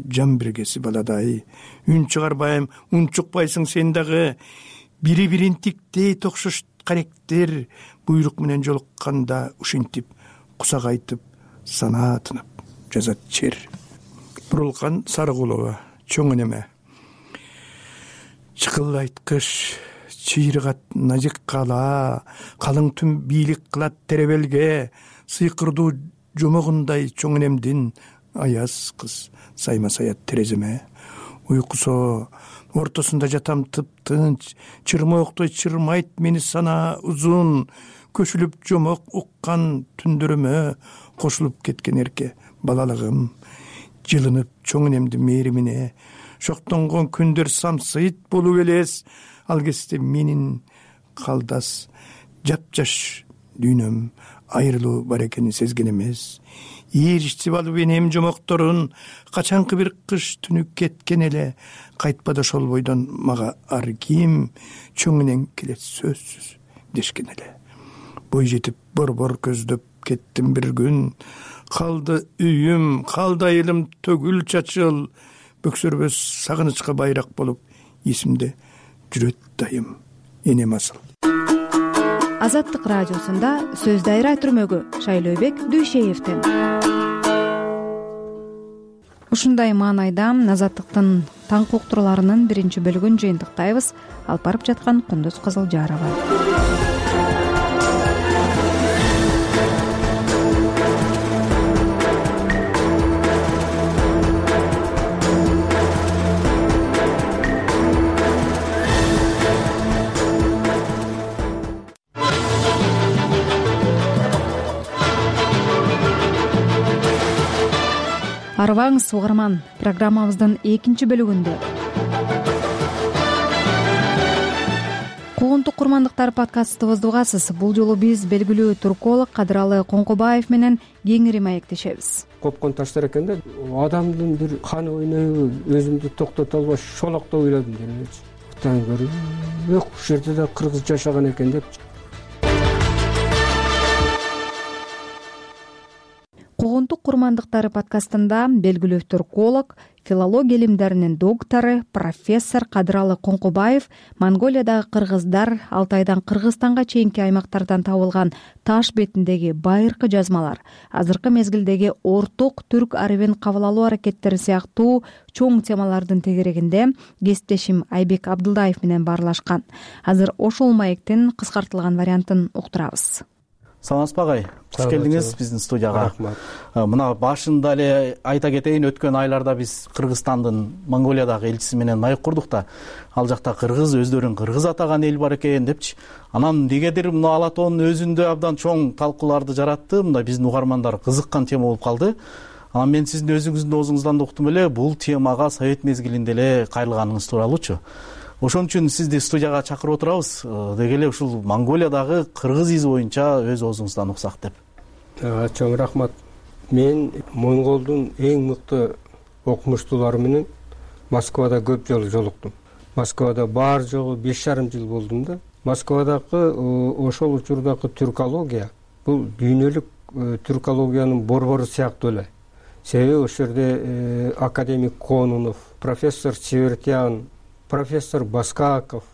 жан биргеси баладай. Үн чыгарбайм, ун чукпайсың сен дагы, бири-бирин тиктей токшош каректер, буйрук менен жолукканда ушинтип кусак айтып, санаа тынып жазат чер. Мурулкан Сарыкулова, чоң энеме. Чыкылайткыч чыйрыгат назик кала, калың түн бийлик кылат теребелге, сыйкырдуу жомогундай чоң энемдин аяз кыз сайма саят тереземе. Уйкусо ортосунда жатам тып-тынч, чырмооктой чырмайт мени сана узун, көчүлүп жомок уккан түндөрүмө кошулуп кеткен эрке балалыгым. Жылынып чоң энемдин мээримине, шоктонгон күндөр самсыйт болуп элес, ал кезде менин калдас жапжаш дүйнөм айрылуу бар экенин сезген эмес. Ийиричтип алып энем жомокторун, качанкы бир кыш түнү кеткен эле, кайтпады ошол бойдон мага ар ким, чоң энең келет сөзсүз дешкен эле. Бой жетип борбор көздөп кеттим бир күн, калды үйүм, калды айылым төгүл чачыл, бөксөрбөс сагынычка байрак болуп, эсимде жүрөт дайым энем асыл. Азаттык радиосунда сөз дайра түрмөгү Шайлообек Дүйшеевден. Ушундай маанайда Азаттыктын таңкы уктурууларынын биринчи бөлүгүн жыйынтыктайбыз. Алып барып жаткан Кундуз Кызылжарова. Арыбаңыз угарман, программабыздын экинчи бөлүгүндө Куугунтук курмандыктар подкастыбызды угасыз. Бул жолу биз белгилүү турколог Кадыралы Коңкобаев менен кеңири маектешебиз. Копкон таштар экен да, адамдын бир каны ойнойбу, өзүмдү токтото албай шолоктоп ыйладым делечи. Кутан көрүп, ок ушул жерде да кыргыз жашаган экен деп. окурмандыктары подкастында белгилүү турколог, филология илимдеринин доктору, профессор Кадыралы Коңкубаев Монголиядагы кыргыздар Алтайдан Кыргызстанга чейинки аймактардан табылган таш бетиндеги байыркы жазмалар, азыркы мезгилдеги орток түрк арабин кабыл алуу аракеттери сыяктуу чоң темалардын тегерегинде кесиптешим Айбек Абдылдаев менен баарлашкан. Азыр ошол маектин кыскартылган вариантын уктурабыз. Саламатсызбы агай? Куш келдиңиз биздин студияга. Рахмат. Мына башында эле айта кетейин, өткөн айларда биз Кыргызстандын Монголиядагы элчиси менен маек курдук да, ал жакта кыргыз өздөрүн кыргыз атаган эл бар экен депчи. Анан эмнегедир мына ала тоонун өзүндө абдан чоң талкууларды жаратты. Мындай биздин угармандар кызыккан тема болуп калды. Анан мен сиздин өзүңүздүн оозуңуздан да уктум эле, бул темага совет мезгилинде эле кайрылганыңыз тууралуучу. Ошон үчүн сизди студияга чакырып отурабыз. Деги эле ушул Монголиядагы кыргыз изи боюнча өз оозуңуздан уксак деп. Чоң рахмат. Мен Монголдун эң мыкты окумуштуулары менен Москвада көп жолу жолуктум. Москвада бар жогу беш жарым жыл болдум да. Москвадагы ошол учурдагы түркология бул дүйнөлүк түркологиянын борбору сыяктуу эле. Себеби ошол жерде академик Конунов, профессор Севертян, профессор Баскаков,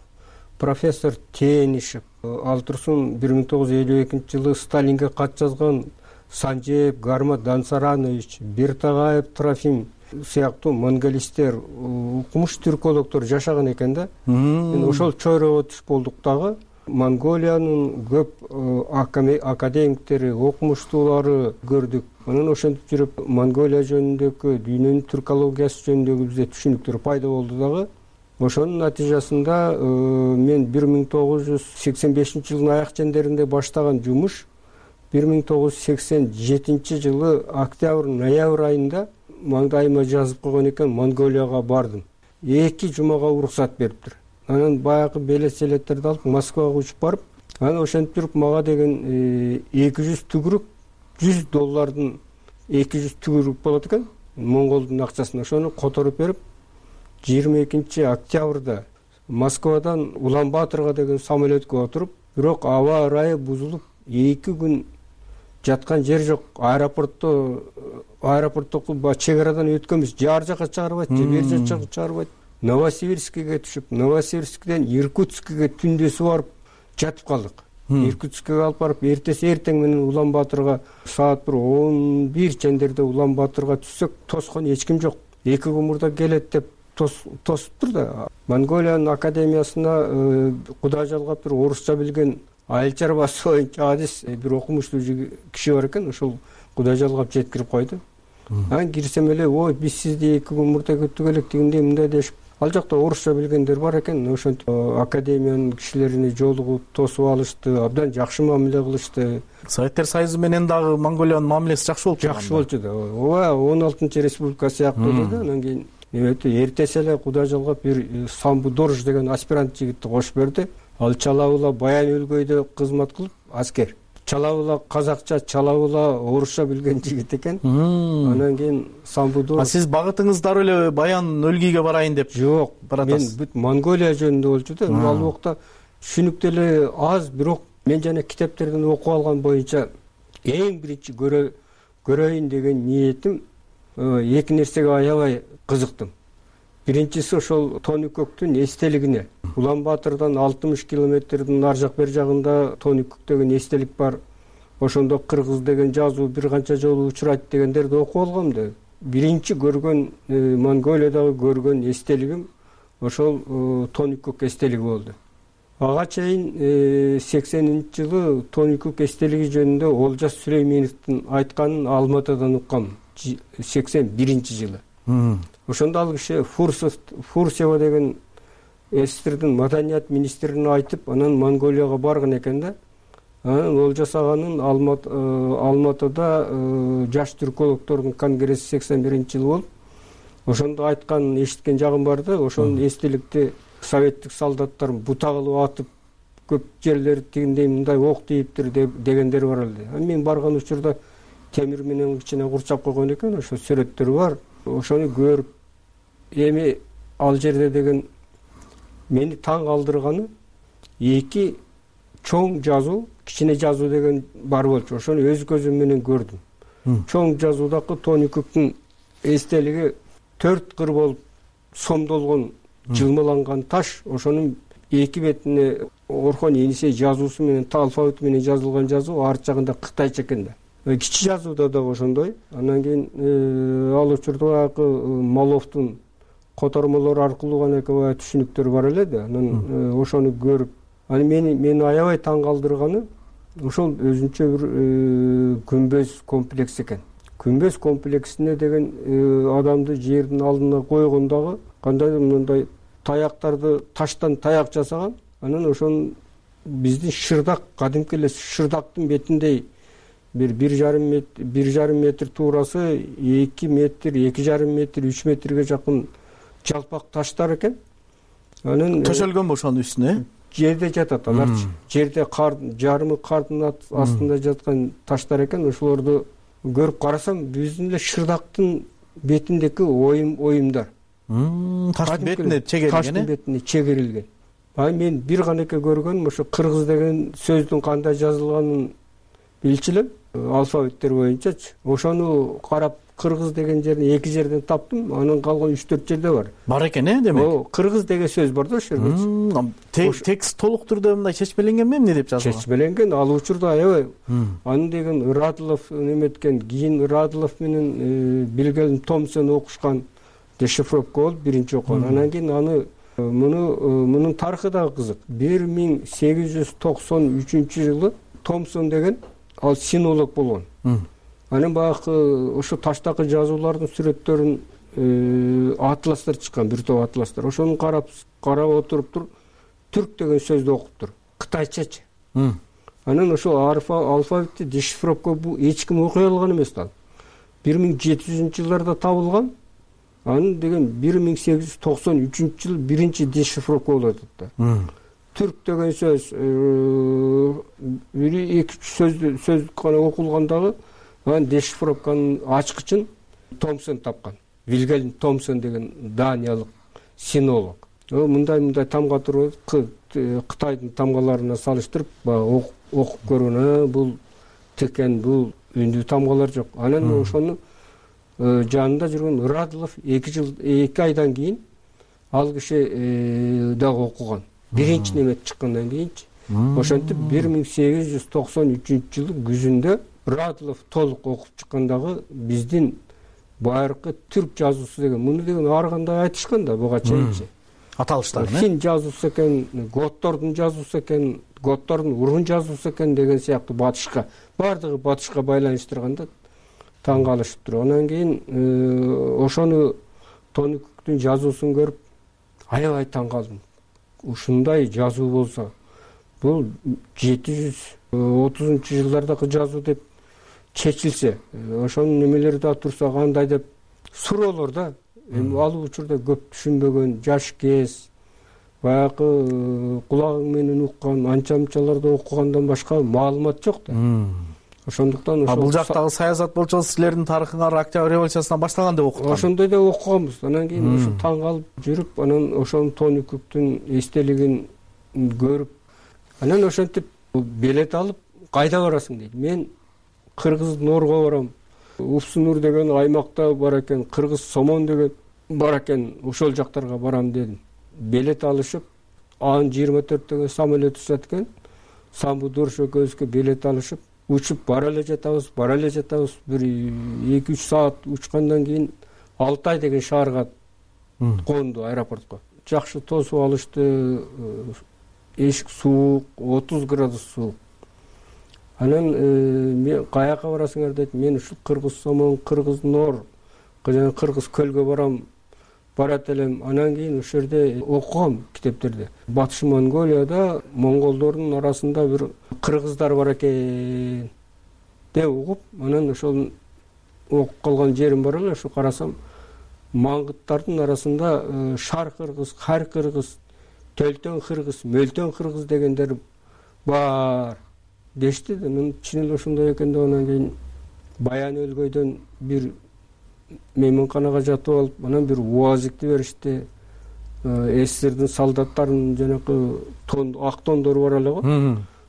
профессор Тенишев, ал турсун бир миң тогуз жүз элүү экинчи жылы Сталинге кат жазган Санжеев Гармат Дансаранович, Биртагаев Трофим сыяктуу монголисттер, укмуш түркологдор жашаган экен да. Мен ошол чойрого түшүп болдук дагы. Монголиянын көп академиктери, окумуштуулары көрдүк. Анан ошентип жүрүп Монголия жөнүндөгү, дүйнөнүн түркологиясы жөнүндөгү бизде түшүнүктөр пайда болду дагы. Ошонун натыйжасында мен бир миң тогуз жүз сексен бешинчи жылдын аяк чендеринде баштаган жумуш бир миң тогуз жүз сексен жетинчи жылы октябрь ноябрь айында маңдайыма жазып койгон экен, Монголияга бардым. Эки жумага уруксат бериптир. Анан баягы белет-селеттерди алып Москвага учуп барып, анан ошентип жүрүп мага деген эки жүз түгүрүк, жүз доллардын эки жүз түгүрүк болот экен, Монголдун акчасына. Ошону которуп берип, жыйырма экинчи октябрда Москвадан Улан-Батырга деген самолетке отуруп, бирок аба ырайы бузулуп, эки күн жаткан жер жок. Аэропортто аэропорттогу чек арадан өткөнбүз, же ар жака чыгарбайт, же бер жака чыгарбайт. Новосибирскиге түшүп, Новосибирскиден Иркутскиге түндөсү барып жатып калдык. Иркутскиге алып барып, эртеси эртең менен Улан-Батырга саат бир он бир чендерде Улан-Батырга түшсөк, тоскон эч ким жок. Эки күн мурда келет деп тосуптур да. Монголиянын академиясына Кудай жалгап бир орусча билген айыл чарбасы боюнча адис бир окумуштуу киши бар экен, ошол Кудай жалгап жеткирип койду. Анан кирсем эле, ой, биз сизди эки күн мурда күттүк элек дегенде мындай дешип, ал жакта орусча билгендер бар экен. Ошентип академиянын кишилерине жолугуп тосуп алышты, абдан жакшы мамиле кылышты. Советтер Союзу менен дагы Монголиянын мамилеси жакшы болчу. Жакшы болчу да. Ооба, он алтынчы республика сыяктуу да. Анан кийин эртеси эле Кудай жалгап бир Самбудорж деген аспирант жигитти кошуп берди. Ал чалабыла Баян өлкөйдө кызмат кылып, аскер. Чалабыла казакча, чалабыла орусча билген жигит экен. Анан кийин Самбудорж. А сиз багытыңыз дароо эле Баян өлкөйгө барайын деп? Жок, мен бүт Монголия жөнүндө болчу да. Ал убакта түшүнүк деле аз, бирок мен жана китептерден окуп алган боюнча эң биринчи көрөйүн деген ниетим эки нерсеге аябай кызыктым. Биринчиси ошол Тоникөктүн эстелигине. Улан-Батырдан алтымыш километрдин ар жак бер жагында Тоникөк деген эстелик бар. Ошондо кыргыз деген жазуу бир канча жолу учурайт дегендерди окуп алгам да. Биринчи көргөн Монголиядагы көргөн эстелигим ошол Тоникөк эстелиги болду. Ага чейин сексенинчи жылы Тоникөк эстелиги жөнүндө Олжас Сүлейменовдун айтканын Алматыдан уккам. сексен биринчи жылы. Ошондо ал киши Фурсева деген эсирдин маданият министрине айтып, анан Монголияга барган экен да. Анан Олжас аганын Алматыда жаш түркологдордун конгресси сексен биринчи жылы болуп, ошондо айтканын эшиткен жагым бар да. Ошонун эстеликти советтик солдаттар бута кылып атып, көп жерлери тигиндей мындай ок тийиптир дегендер бар эле. Мен барган учурда темир менен кичине курчап койгон экен, ошо сүрөттөр бар. Ошону көрүп, эми ал жерде деген мени таң калтырганы эки чоң жазуу, кичине жазуу деген бар болчу. Ошону өз көзүм менен көрдүм. чоң жазуудагы Тоникуктун эстелиги төрт кыр болуп сомдолгон жылмаланган таш, ошонун эки бетине Орхон Енисей жазуусу менен алфавит менен жазылган жазуу, арт жагында кытайча экен да. Кичи жазууда да ошондой. Андан кийин ал учурда Маловдун котормолору аркылуу гана экебай түшүнүктөр бар эле да. Анан ошону көрүп, аны мени мени аябай таң калтырганы ошол өзүнчө бир күмбөз комплекс экен. Күмбөз комплексине деген адамды жердин алдына койгондагы кандайдыр мындай таяктарды таштан таяк жасаган. Анан ошонун биздин шырдак, кадимки эле шырдактын бетиндей бир бир жарым метр, бир жарым метр туурасы эки метр, эки жарым метр, үч метрге жакын жалпак таштар экен. Анан төшөлгөнбү ошонун үстүнө? Жерде жатат аларчы. Жерде кар, жарымы кардын астында жаткан таштар экен. Ошолорду көрүп карасам, биздин эле шырдактын бетиндеги оюм оюмдар. Таштын бетине чегерилген. Таштын бетине чегерилген. Ай мен бир гана эке көргөнүм, ошо кыргыз деген сөздүн кандай жазылганын билчү элем, алфавиттер боюнчачы. Ошону карап кыргыз деген жерин эки жерден таптым, анан калган үч төрт жерде бар. Бар экен э, демек. О, кыргыз деген сөз бар да ошол жерде. Текст толук түрдө мындай чечмеленген эмне деп жазылган? Чечмеленген, ал учурда аябай. Аны деген Радлов неметкен, кийин Радлов менен Билгелм Томсон окушкан, дешифровка болуп биринчи окуган. Анан кийин аны муну мунун тарыхы да кызык. бир миң сегиз жүз токсон үчүнчү жылы Томсон деген ал синолог болгон. Анан баягы ошо таштагы жазуулардын сүрөттөрүн атластар чыккан, бир топ атластар. Ошону карап карап отуруптур, түрк деген сөздү окуптур, кытайчачы. Анан ошо алфавитти дешифровка бул эч ким окуй алган эмес да. бир миң жети жүзүнчү жылдарда табылган. Аны деген бир миң сегиз жүз токсон үчүнчү жыл биринчи дешифровка болот да. Түрк деген сөз бир эки үч сөздү сөз гана окулгандагы анан дешифровканын ачкычын Томсон тапкан. Вильгельм Томсон деген даниялык синолог. Мындай мындай тамга туруп Кытайдын тамгаларына салыштырып окуп көргөн. Бул текен, бул үндүү тамгалар жок. Анан ошону жанында жүргөн Радлов эки жыл эки айдан кийин ал киши дагы окуган. Биринчи немет чыккандан кийинчи. Ошентип бир миң сегиз жүз токсон үчүнчү жылдын күзүндө Радлов толук окуп чыккандагы биздин байыркы түрк жазуусу деген муну деген ар кандай айтышкан да буга чейинчи. Аталыштар э? Фин жазуусу экен, готтордун жазуусу экен, готтордун урун жазуусу экен деген сыяктуу батышка, бардыгы батышка байланыштырганда таң калышып тур. Анан кийин ошону Тоникуктун жазуусун көрүп аябай таң калдым. Ушундай жазуу болсо, бул жети жүз отузунчу жылдардагы жазуу деп чечилсе, ошонун немелери да турса кандай деп суроолор да. Эми ал учурда көп түшүнбөгөн, жаш кез, баягы кулагың менен уккан, анча-мынчаларды окугандан башка маалымат жок да. Ошондуктан ошол бул жактагы саясат болчу силердин тарыхыңар Октябрь революциясынан башталган деп окуткан. Ошондой да окуганбыз. Анан кийин ошо таң калып жүрүп, анан ошонун Тоникуктун эстелигин көрүп, анан ошентип билет алып кайда барасың дейт. Мен Кыргыз Норго барам. Упсунур деген аймакта бар экен, Кыргыз Сомон деген бар экен, ошол жактарга барам дедим. Билет алышып, Ан жыйырма төрт деген самолет учат экен. Самбу Дурш экөөбүзгө билет алышып, учуп бара эле жатабыз, бара эле жатабыз. Бир эки үч саат учкандан кийин Алтай деген шаарга конду, аэропортко. Жакшы тосуп алышты, эшик суук, отуз градус суук. Анан мен каяка барасыңар дейт. Мен ушу Кыргыз Сомон, Кыргыз Нор, жана Кыргыз Көлгө барам, барат элем. Анан кийин ошол жерде окугам китептерде. Батыш Монголияда монголдордун арасында бир кыргыздар бар экен деп угуп, анан ошол окуп калган жерим бар эле. Ошо карасам, маңгыттардын арасында Шар кыргыз, Хар кыргыз, Төлтөн кыргыз, Мөлтөн кыргыз дегендер бар дешти. Анан чын эле ошондой экен деп анан кийин Баян өлгөйдөн бир мейманканага жатып алып, анан бир УАЗикти беришти. СССРдин солдаттарынын жанакы тон, ак тондору бар эле го.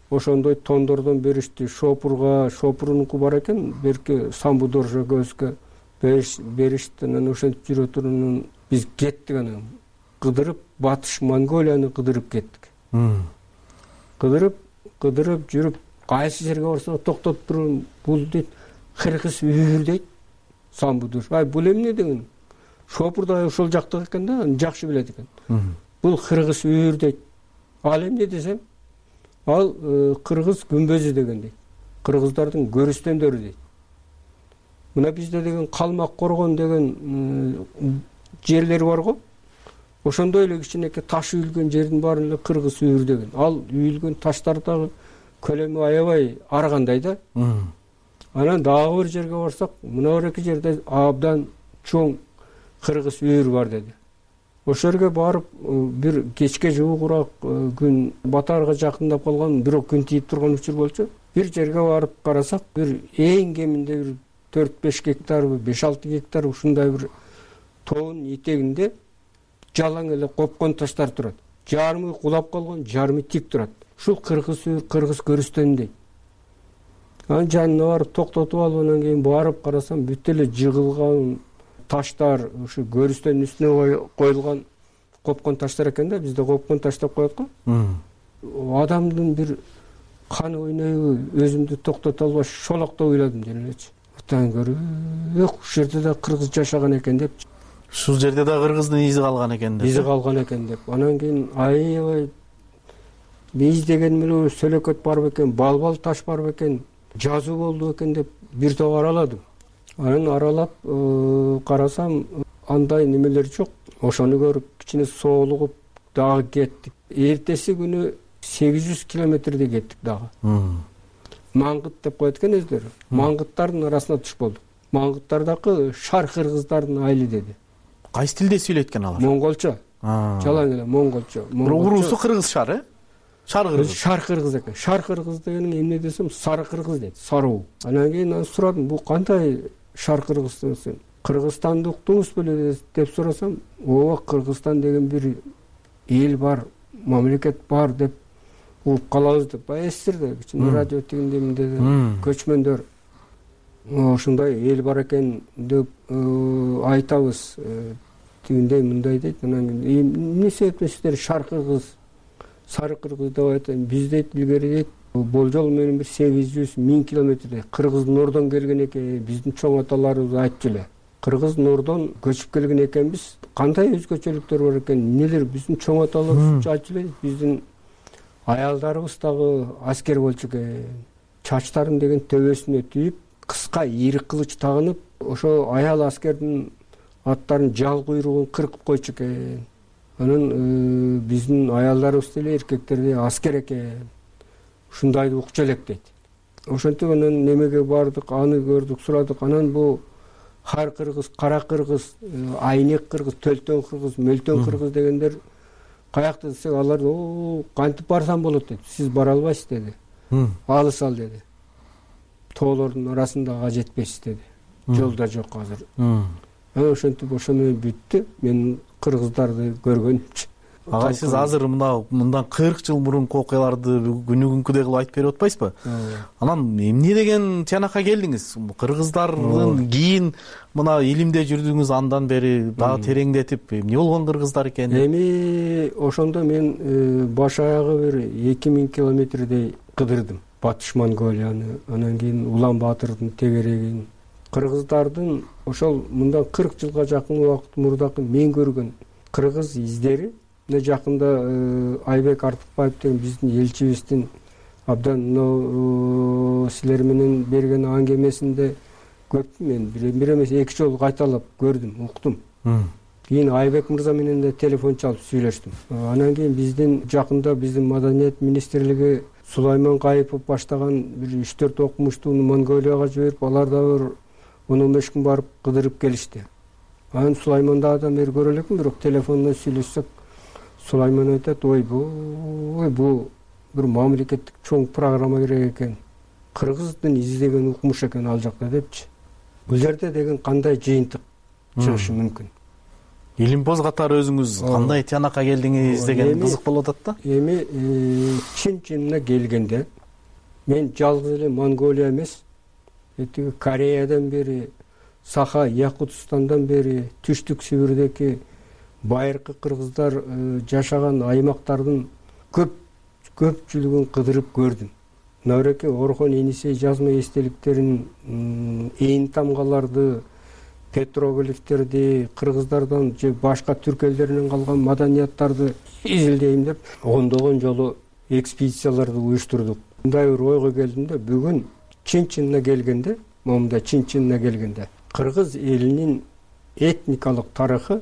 ошондой тондордон беришти. Шопурга шопурунуку бар экен, берки Самбудоржо көзгө беришти. Анан ошентип жүрө туруп биз кеттик, анан кыдырып батыш Монголияны кыдырып кеттик. Кыдырып кыдырып жүрүп кайсы жерге барсак токтоп туруп, бул дейт кыргыз үйүр дейт. Самбудор. Ай бул эмне деген? Шопур да ошол жактык экен да, жакшы билет экен. Бул кыргыз үйүр дейт. Ал эмне десем, ал кыргыз күмбөзү деген дейт. Кыргыздардын көрүстөндөрү дейт. Мына бизде деген Калмак Коргон деген жерлер бар го. Ошондой эле кичинекей таш үйүлгөн жердин баарын эле кыргыз үйүр деген. Ал үйүлгөн таштардагы көлөмү аябай аргандай да. Анан дагы бир жерге барсак, мына бир эки жерде абдан чоң кыргыз үйүр бар деди. Ошол жерге барып, бир кечке жуугураак күн батаарга жакындап калган, бирок күн тийип турган учур болчу. Бир жерге барып карасак, бир эң кеминде бир төрт беш гектар, беш алты гектар ушундай бир тоонун этегинде жалаң эле копкон таштар турат. Жарымы кулап калган, жарымы тик турат. Ушул кыргыз үйүр, кыргыз көрүстөн дейт. Анын жанына барып токтотуп алып, анан кийин барып карасам, бүт эле жыгылган таштар, ушу көрүстөн үстүнө коюлган копкон таштар экен да, бизде копкон таш деп коет го. Адамдын бир каны ойнойбу, өзүмдү токтото албай шолоктоп ыйладым ден элечи. Атан көрүп, ушул жерде да кыргыз жашаган экен деп. Ушул жерде да кыргыздын изи калган экен деп. Изи калган экен деп. Анан кийин аябай биз деген эле сөлөкөт бар бекен, балбал таш бар бекен, жазуу болду экен деп бир топ араладым. Анан аралап карасам, андай немелер жок. Ошону көрүп кичине соолугуп дагы кеттик. Эртеси күнү сегиз жүз километрдей кеттик дагы. Маңгыт деп коет экен өздөрү. Маңгыттардын арасына туш болдук. Маңгыттардагы шар кыргыздардын айылы деди. Кайсы тилде сүйлөткөн алар? Монголчо. Жалаң эле монголчо. Уруусу кыргыз шар, э? Шар кыргыз. Шар кыргыз экен. Шар кыргыз дегенин эмне десем, сары кыргыз дейт. Саруу. Анан кийин аны сурадым, бул кандай шар кыргыз десем, Кыргызстанды уктуңуз беле деп сурасам, ооба Кыргызстан деген бир эл бар, мамлекет бар деп угуп калабыз деп. Эстерде кичине радио тигинде эмне көчмөндөр ушундай эл бар экен деп айтабыз. Тигиндей мындай дейт. Анан эмне себептен сиздер шар кыргыз, сары кыргыз деп айтам. Биз дейт илгери дейт болжол менен бир сегиз жүз миң километрдей кыргыз нордон келген экен. Биздин чоң аталарыбыз айтчу эле. Кыргыз нордон көчүп келген экенбиз. Кандай өзгөчөлүктөр бар экен? Эмнелер биздин чоң аталарыбыз айтчу эле. Биздин аялдарыбыз дагы аскер болчу экен. Чачтарын деген төбөсүнө түйүп, кыска ийри кылыч тагынып, ошо аял аскердин аттарын жал куйругун кыркып койчу экен. Анан биздин аялдарыбыз деле эркектерди аскер экен. Ушундайды укчу элек дейт. Ошентип анан немеге бардык, аны көрдүк, сурадык. Анан бул хар кыргыз, кара кыргыз, айнек кыргыз, төлтөн кыргыз, мөлтөн кыргыз дегендер каякта десек, алар о кантип барсам болот дейт. Сиз бара албайсыз деди. Алыс ал деди. Тоолордун арасында жетпейсиз деди. Жолда жок азыр. Анан ошентип ошо менен бүттү. Мен кыргыздарды көргөнүмчү. Агай, сиз азыр мына мындан кырк жыл мурунку окуяларды күнү күнкүдөй кылып айтып берип атпайсызбы? Анан эмне деген тиянакка келдиңиз? Кыргыздардын кийин мына илимде жүрдүңүз, андан бери дагы тереңдетип, эмне болгон кыргыздар экен? Эми ошондо мен баш аягы бир эки миң километрдей кыдырдым. Батыш Монголияны, анан кийин Улан Баатырдын тегерегин. Кыргыздардын ошол мындан кырк жылга жакын убакыт мурдакы мен көргөн кыргыз издери. Мына жакында Айбек Артыкбаев деген биздин элчибиздин абдан мына силер менен берген аңгемесинде көп мен бир эмес эки жолу кайталап көрдүм, уктум. Кийин Айбек мырза менен да телефон чалып сүйлөштүм. Анан кийин биздин жакында биздин Маданият министрлиги Сулайман Кайыпов баштаган бир үч төрт окумуштууну Монголияга жиберип, алар да бир он он беш күн барып кыдырып келишти. Анан Сулайманда адам бери көрө элекмин, бирок телефондон сүйлөшсөк, Сулайман айтат, ой бу бу бир мамлекеттик чоң программа керек экен. Кыргыздын изи деген укмуш экен ал жакта депчи. Бул жерде деген кандай жыйынтык чыгышы мүмкүн? Илимпоз катары өзүңүз кандай тиянакка келдиңиз деген кызык болуп атат да. Эми чын-чынына келгенде мен жалгыз эле Монголия эмес, тиги Кореядан бери, Саха Якутстандан бери, Түштүк Сибирдеги байыркы кыргыздар жашаган аймактардын көп көпчүлүгүн кыдырып көрдүм. Мынабеки Орхон Енисей жазма эстеликтерин, ээн тамгаларды, петроглифтерди, кыргыздардан же башка түрк элдеринен калган маданияттарды изилдейм деп ондогон жолу экспедицияларды уюштурдук. Мындай бир ойго келдим да, бүгүн чын-чынына келгенде, момунда чын-чынына келгенде кыргыз элинин этникалык тарыхы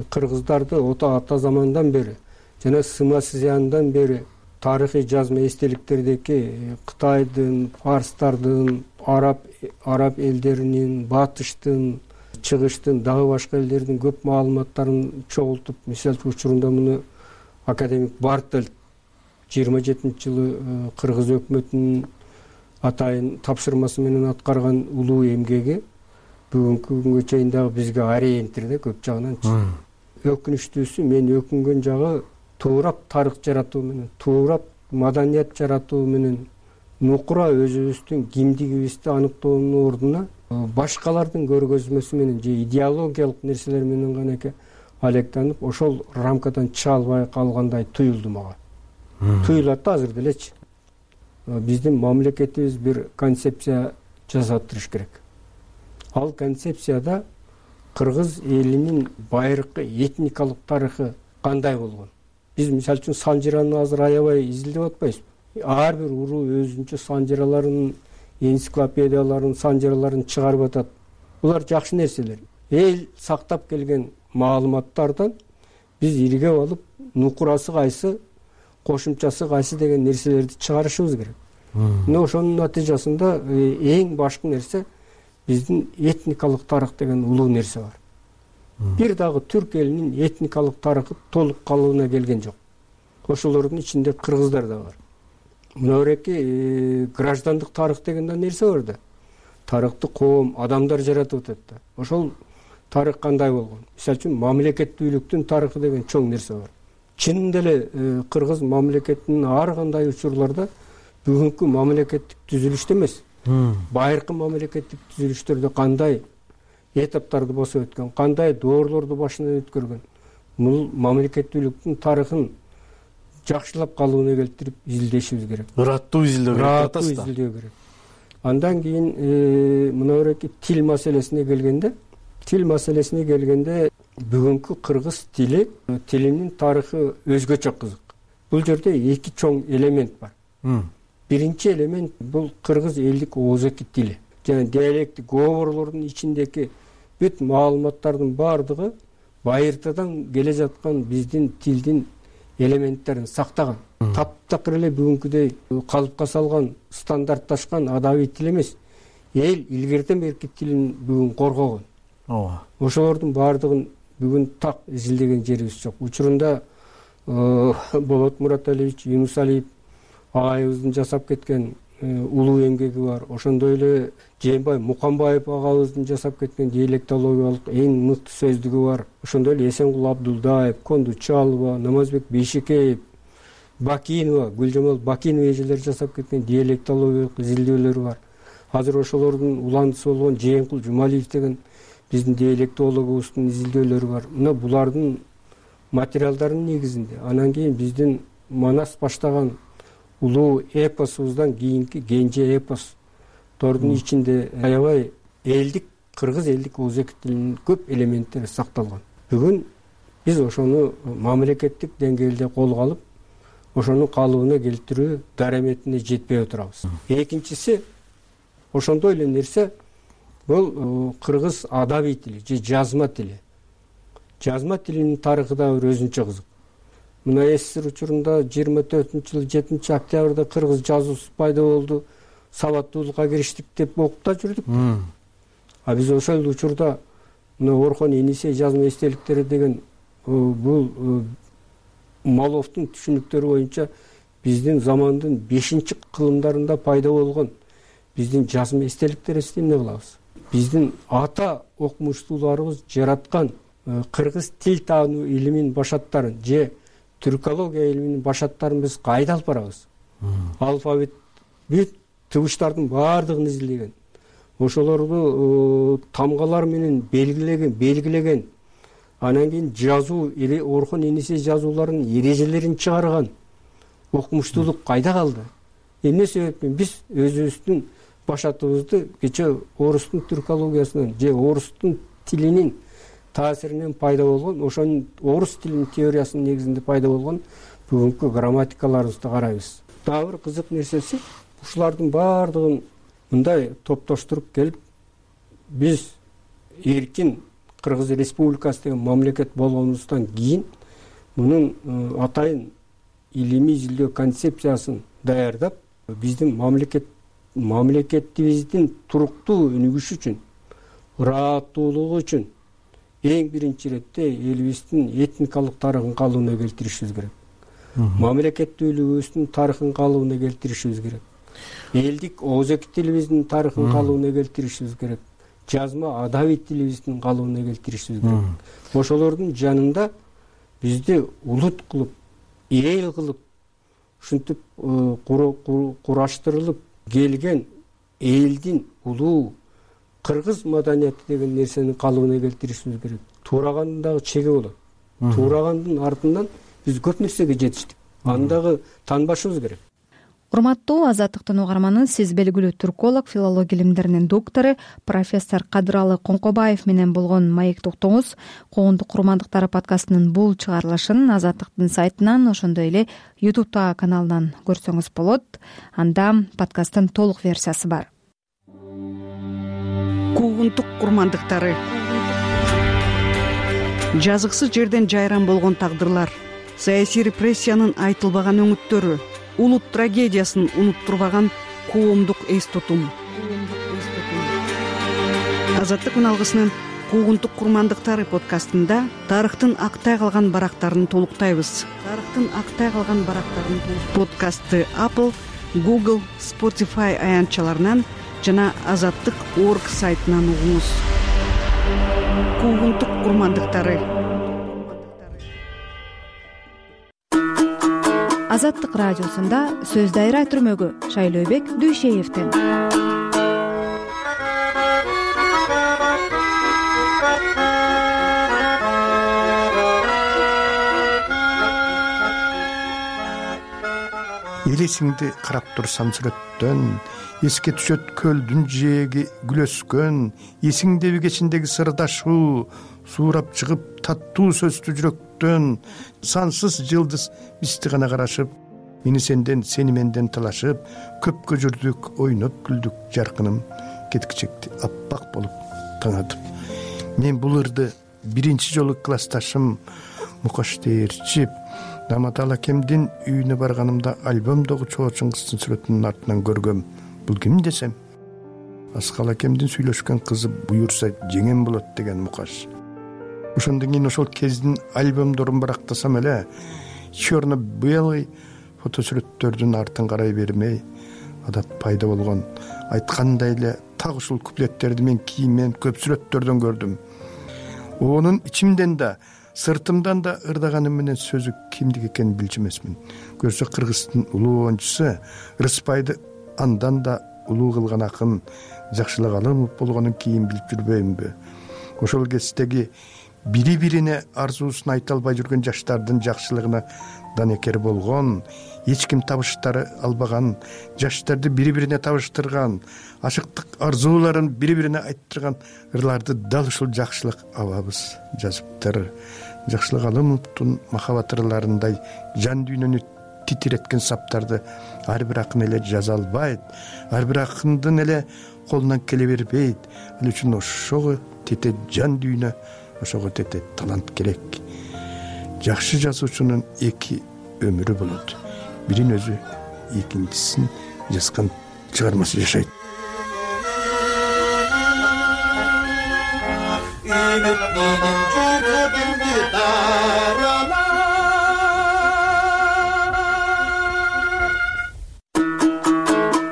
кыргыздарды ата замандан бери жана Сыма Сызяндан бери тарыхый жазма эстеликтердеги Кытайдын, фарстардын, араб араб элдеринин, батыштын, чыгыштын, дагы башка элдердин көп маалыматтарын чогултуп, мисалы учурунда муну академик Бартель жыйырма жетинчи жылы кыргыз өкмөтүнүн атайын тапшырмасы менен аткарган улуу эмгеги бүгүнкү күнгө чейин дагы бизге ориентир да, көп жагынан. Өкүнүчтүүсү, мен өкүнгөн жагы туурап тарых жаратуу менен, туурап маданият жаратуу менен нукура өзүбүздүн кимдигибизди аныктоонун ордуна башкалардын көргөзмөсү менен же идеологиялык нерселер менен гана эке алектанып, ошол рамкадан чыга албай калгандай туюлду мага. Туюлат да азыр делечи. Биздин мамлекетибиз бир концепция жасап туруш керек. Ал концепцияда кыргыз элинин байыркы этникалык тарыхы кандай болгон? Биз мисалы үчүн санжираны азыр аябай изилдеп атпайбызбы? Ар бир уруу өзүнчө санжираларын, энциклопедияларын, санжираларын чыгарып атат. Булар жакшы нерселер. Эл сактап келген маалыматтардан биз иргеп алып, нукурасы кайсы, кошумчасы кайсы деген нерселерди чыгарышыбыз керек. Мына ошонун натыйжасында эң башкы нерсе биздин этникалык тарых деген улуу нерсе бар. Бир дагы түрк элинин этникалык тарыхы толук калыбына келген жок. Ошолордун ичинде кыргыздар да бар. Мынабеки граждандык тарых деген да нерсе бар да. Тарыхты коом, адамдар жаратып атат да. Ошол тарых кандай болгон? Мисалы үчүн мамлекеттүүлүктүн тарыхы деген чоң нерсе бар. Чынында эле кыргыз мамлекетинин ар кандай учурларда бүгүнкү мамлекеттик түзүлүштө эмес, байыркы мамлекеттик түзүлүштөрдө кандай этаптарды басып өткөн, кандай доорлорду башынан өткөргөн, бул мамлекеттүүлүктүн тарыхын жакшылап калыбына келтирип изилдешибиз керек. Ыраттуу изилдөө керек. Ыраттуу изилдөө керек. Андан кийин мынабеки тил маселесине келгенде, тил маселесине келгенде бүгүнкү кыргыз тили, тилинин тарыхы өзгөчө кызык. Бул жерде эки чоң элемент бар. Биринчи элемент бул кыргыз элдик оозеки тили. Жана диалекттик говорлордун ичиндеги бүт маалыматтардын баардыгы байыртадан келе жаткан биздин тилдин элементтерин сактаган. Таптакыр эле бүгүнкүдөй калыпка салган, стандартташкан адабий тил эмес. Эл илгертен берки тилин бүгүн коргогон. Ооба. Ошолордун баардыгын бүгүн так изилдеген жерибиз жок. Учурунда Болот Мураталиевич Юнусалиев агайыбыздын жасап кеткен улуу эмгеги бар. Ошондой эле Жээнбай Мукамбаев агабыздын жасап кеткен диалектологиялык эң мыкты сөздүгү бар. Ошондой эле Эсенгул Абдулдаев, Конду Чалова, Намазбек Бейшекеев, Бакинова, Гүлжамал Бакинова эжелер жасап кеткен диалектологиялык изилдөөлөрү бар. Азыр ошолордун уландысы болгон Жээнкул Жумалиев деген биздин диалектологубуздун изилдөөлөрү бар. Мына булардын материалдарынын негизинде анан кийин биздин Манас баштаган улуу эпосубуздан кийинки Кенже эпостордун ичинде аябай элдик, кыргыз элдик оозеки тилинин көп элементтери сакталган. Бүгүн биз ошону мамлекеттик деңгээлде колго алып, ошонун калыбына келтирүү дараметине жетпей отурабыз. Экинчиси, ошондой эле нерсе бул кыргыз адабий тили же жазма тили. Жазма тилинин тарыхы да бир өзүнчө кызык. Мына СССР учурунда жыйырма төртүнчү жылы жетинчи октябрда кыргыз жазуусу пайда болду, сабаттуулукка кириштик деп окуп да жүрдүк. А биз ошол учурда мына Орхон Енисей жазма эстеликтери деген бул Маловдун түшүнүктөрү боюнча биздин замандын бешинчи кылымдарында пайда болгон биздин жазма эстеликтерибизди эмне кылабыз? Биздин ата окумуштууларыбыз жараткан кыргыз тил таануу илимин башаттарын же түркология илиминин башаттарын биз кайда алып барабыз? Алфавит бүт тыбыштардын баардыгын изилеген, ошолорду тамгалар менен белгилеген белгилеген анан кийин жазуу Орхон Енисей жазууларынын эрежелерин чыгарган. Окумуштуулук кайда калды? Эмне себептен биз өзүбүздүн башатыбызды кече орустун түркологиясынан же орустун тилинин таасиринен пайда болгон, ошонун орус тилинин теориясынын негизинде пайда болгон бүгүнкү грамматикаларыбызды карайбыз. Дагы бир кызык нерсеси, ушулардын баардыгын мындай топтоштуруп келип, биз эркин Кыргыз Республикасы деген мамлекет болгонубуздан кийин мунун атайын илимий изилдөө концепциясын даярдап, биздин мамлекет мамлекетибиздин туруктуу өнүгүшү үчүн, ырааттуулугу үчүн эң биринчи ирете элибиздин этникалык тарыхын калыбына келтиришибиз керек. Мамлекеттүүлүгүбүздүн тарыхын калыбына келтиришибиз керек. Элдик оозеки тилибиздин тарыхын калыбына келтиришибиз керек. Жазма адабий тилибиздин калыбына келтиришибиз керек. Ошолордун жанында бизди улут кылып, эл кылып, ушинтип кураштырылып келген элдин улуу кыргыз маданияти деген нерсенин калыбына келтиришибиз керек. Туурагандын дагы чеги болот. Туурагандын артынан биз көп нерсеге жетиштик. Аны дагы таанбашыбыз керек. Урматтуу Азаттыктын угарманы, сиз белгилүү түрколог, филология илимдеринин доктору профессор Кадыралы Коңкобаев менен болгон маек токтоңуз. Коомдук курмандыктары подкастынын бул чыгарылышын Азаттыктын сайтынан, ошондой эле YouTube каналынан көрсөңүз болот. Анда подкасттын толук версиясы бар. Куугунтук курмандыктары. Жазыксыз жерден жайран болгон тагдырлар, саясий репрессиянын айтылбаган өңүттөрү, улут трагедиясын унуттурбаган коомдук эс тутум. Азаттык үналгысынын Куугунтук курмандыктары подкастында тарыхтын актай калган барактарын толуктайбыз. Тарыхтын актай калган барактарын подкастты Apple, Google, Spotify аянтчаларынан жана азаттык точка орг сайтынан угуңуз. Куугунтук курмандыктары. Азаттык радиосунда сөз дайра түрмөгү Шайлообек Дүйшеевден. Элесиңди карап турсам сүрөттөн, эске түшөт көлдүн жээги күлөскөн, эсиңдеби кечиндеги сырдашуу, суурап чыгып таттуу сөздү жүрөктөн, сансыз жылдыз бизди гана карашып, мени сенден, сени менден талашып, көпкө жүрдүк, ойноп күлдүк, жаркыным кеткичекти аппак болуп таңатып. Мен бул ырды биринчи жолу классташым Мукаш Дээрчип Наматал акемдин үйүнө барганымда альбомдогу Чоочун кыздын сүрөтүнүн артынан көргөм. Бул ким десем, Аскал акемдин сүйлөшкөн кызы буюрса жеңем болот деген Мукаш. Ошондон кийин ошол кездин альбомдорун барактасам эле, черно-белый фотосүрөттөрдүн артын карай бермей, адат пайда болгон айткандай эле так ушул куплеттерди мен кийинмен көп сүрөттөрдөн көрдүм. Онун ичимден да, сыртымдан да ырдаганым менен сөзү кимдики экенин билчү эмесмин. Көрсө Кыргыздын улуу оюнчусу Рыспайды андан да улуу кылган акын Жакшылык Алымов болгонун кийин билип жүрбөймүнбү? Ошол кездеги бири-бирине арзуусун айта албай жүргөн жаштардын жакшылыгына данекер болгон, эч ким табыштары албаган, жаштарды бири-бирине табыштырган, ашыктык арзууларын бири-бирине айттырган ырларды дал ушул Жакшылык абабыз жазыптыр. Жакшылык Алымовдун махабат ырларындай жан дүйнөнү титиреткен саптарды ар бир акын эле жаза албайт, ар бир акындын эле колунан келе бербейт. Ал үчүн ошого тете жан дүйнө, ошого тете талант керек. Жакшы жазуучунун эки өмүрү болот. Бирин өзү, экинчисин жазган чыгармасы жашайт.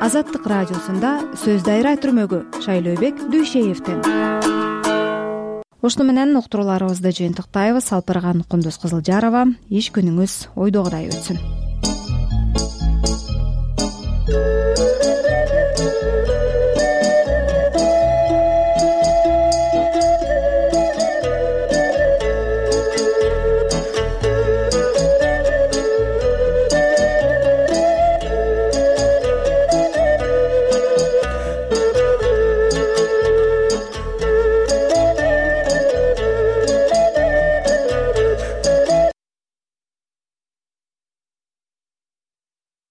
Азаттык радиосунда сөз дайра түрмөгү Шайлообек Дүйшеевден. Ошону менен уктурууларыбызды жыйынтыктайбыз. Алпырган Кундуз Кызылжарова. Иш күнүңүз ойдогудай өтсүн.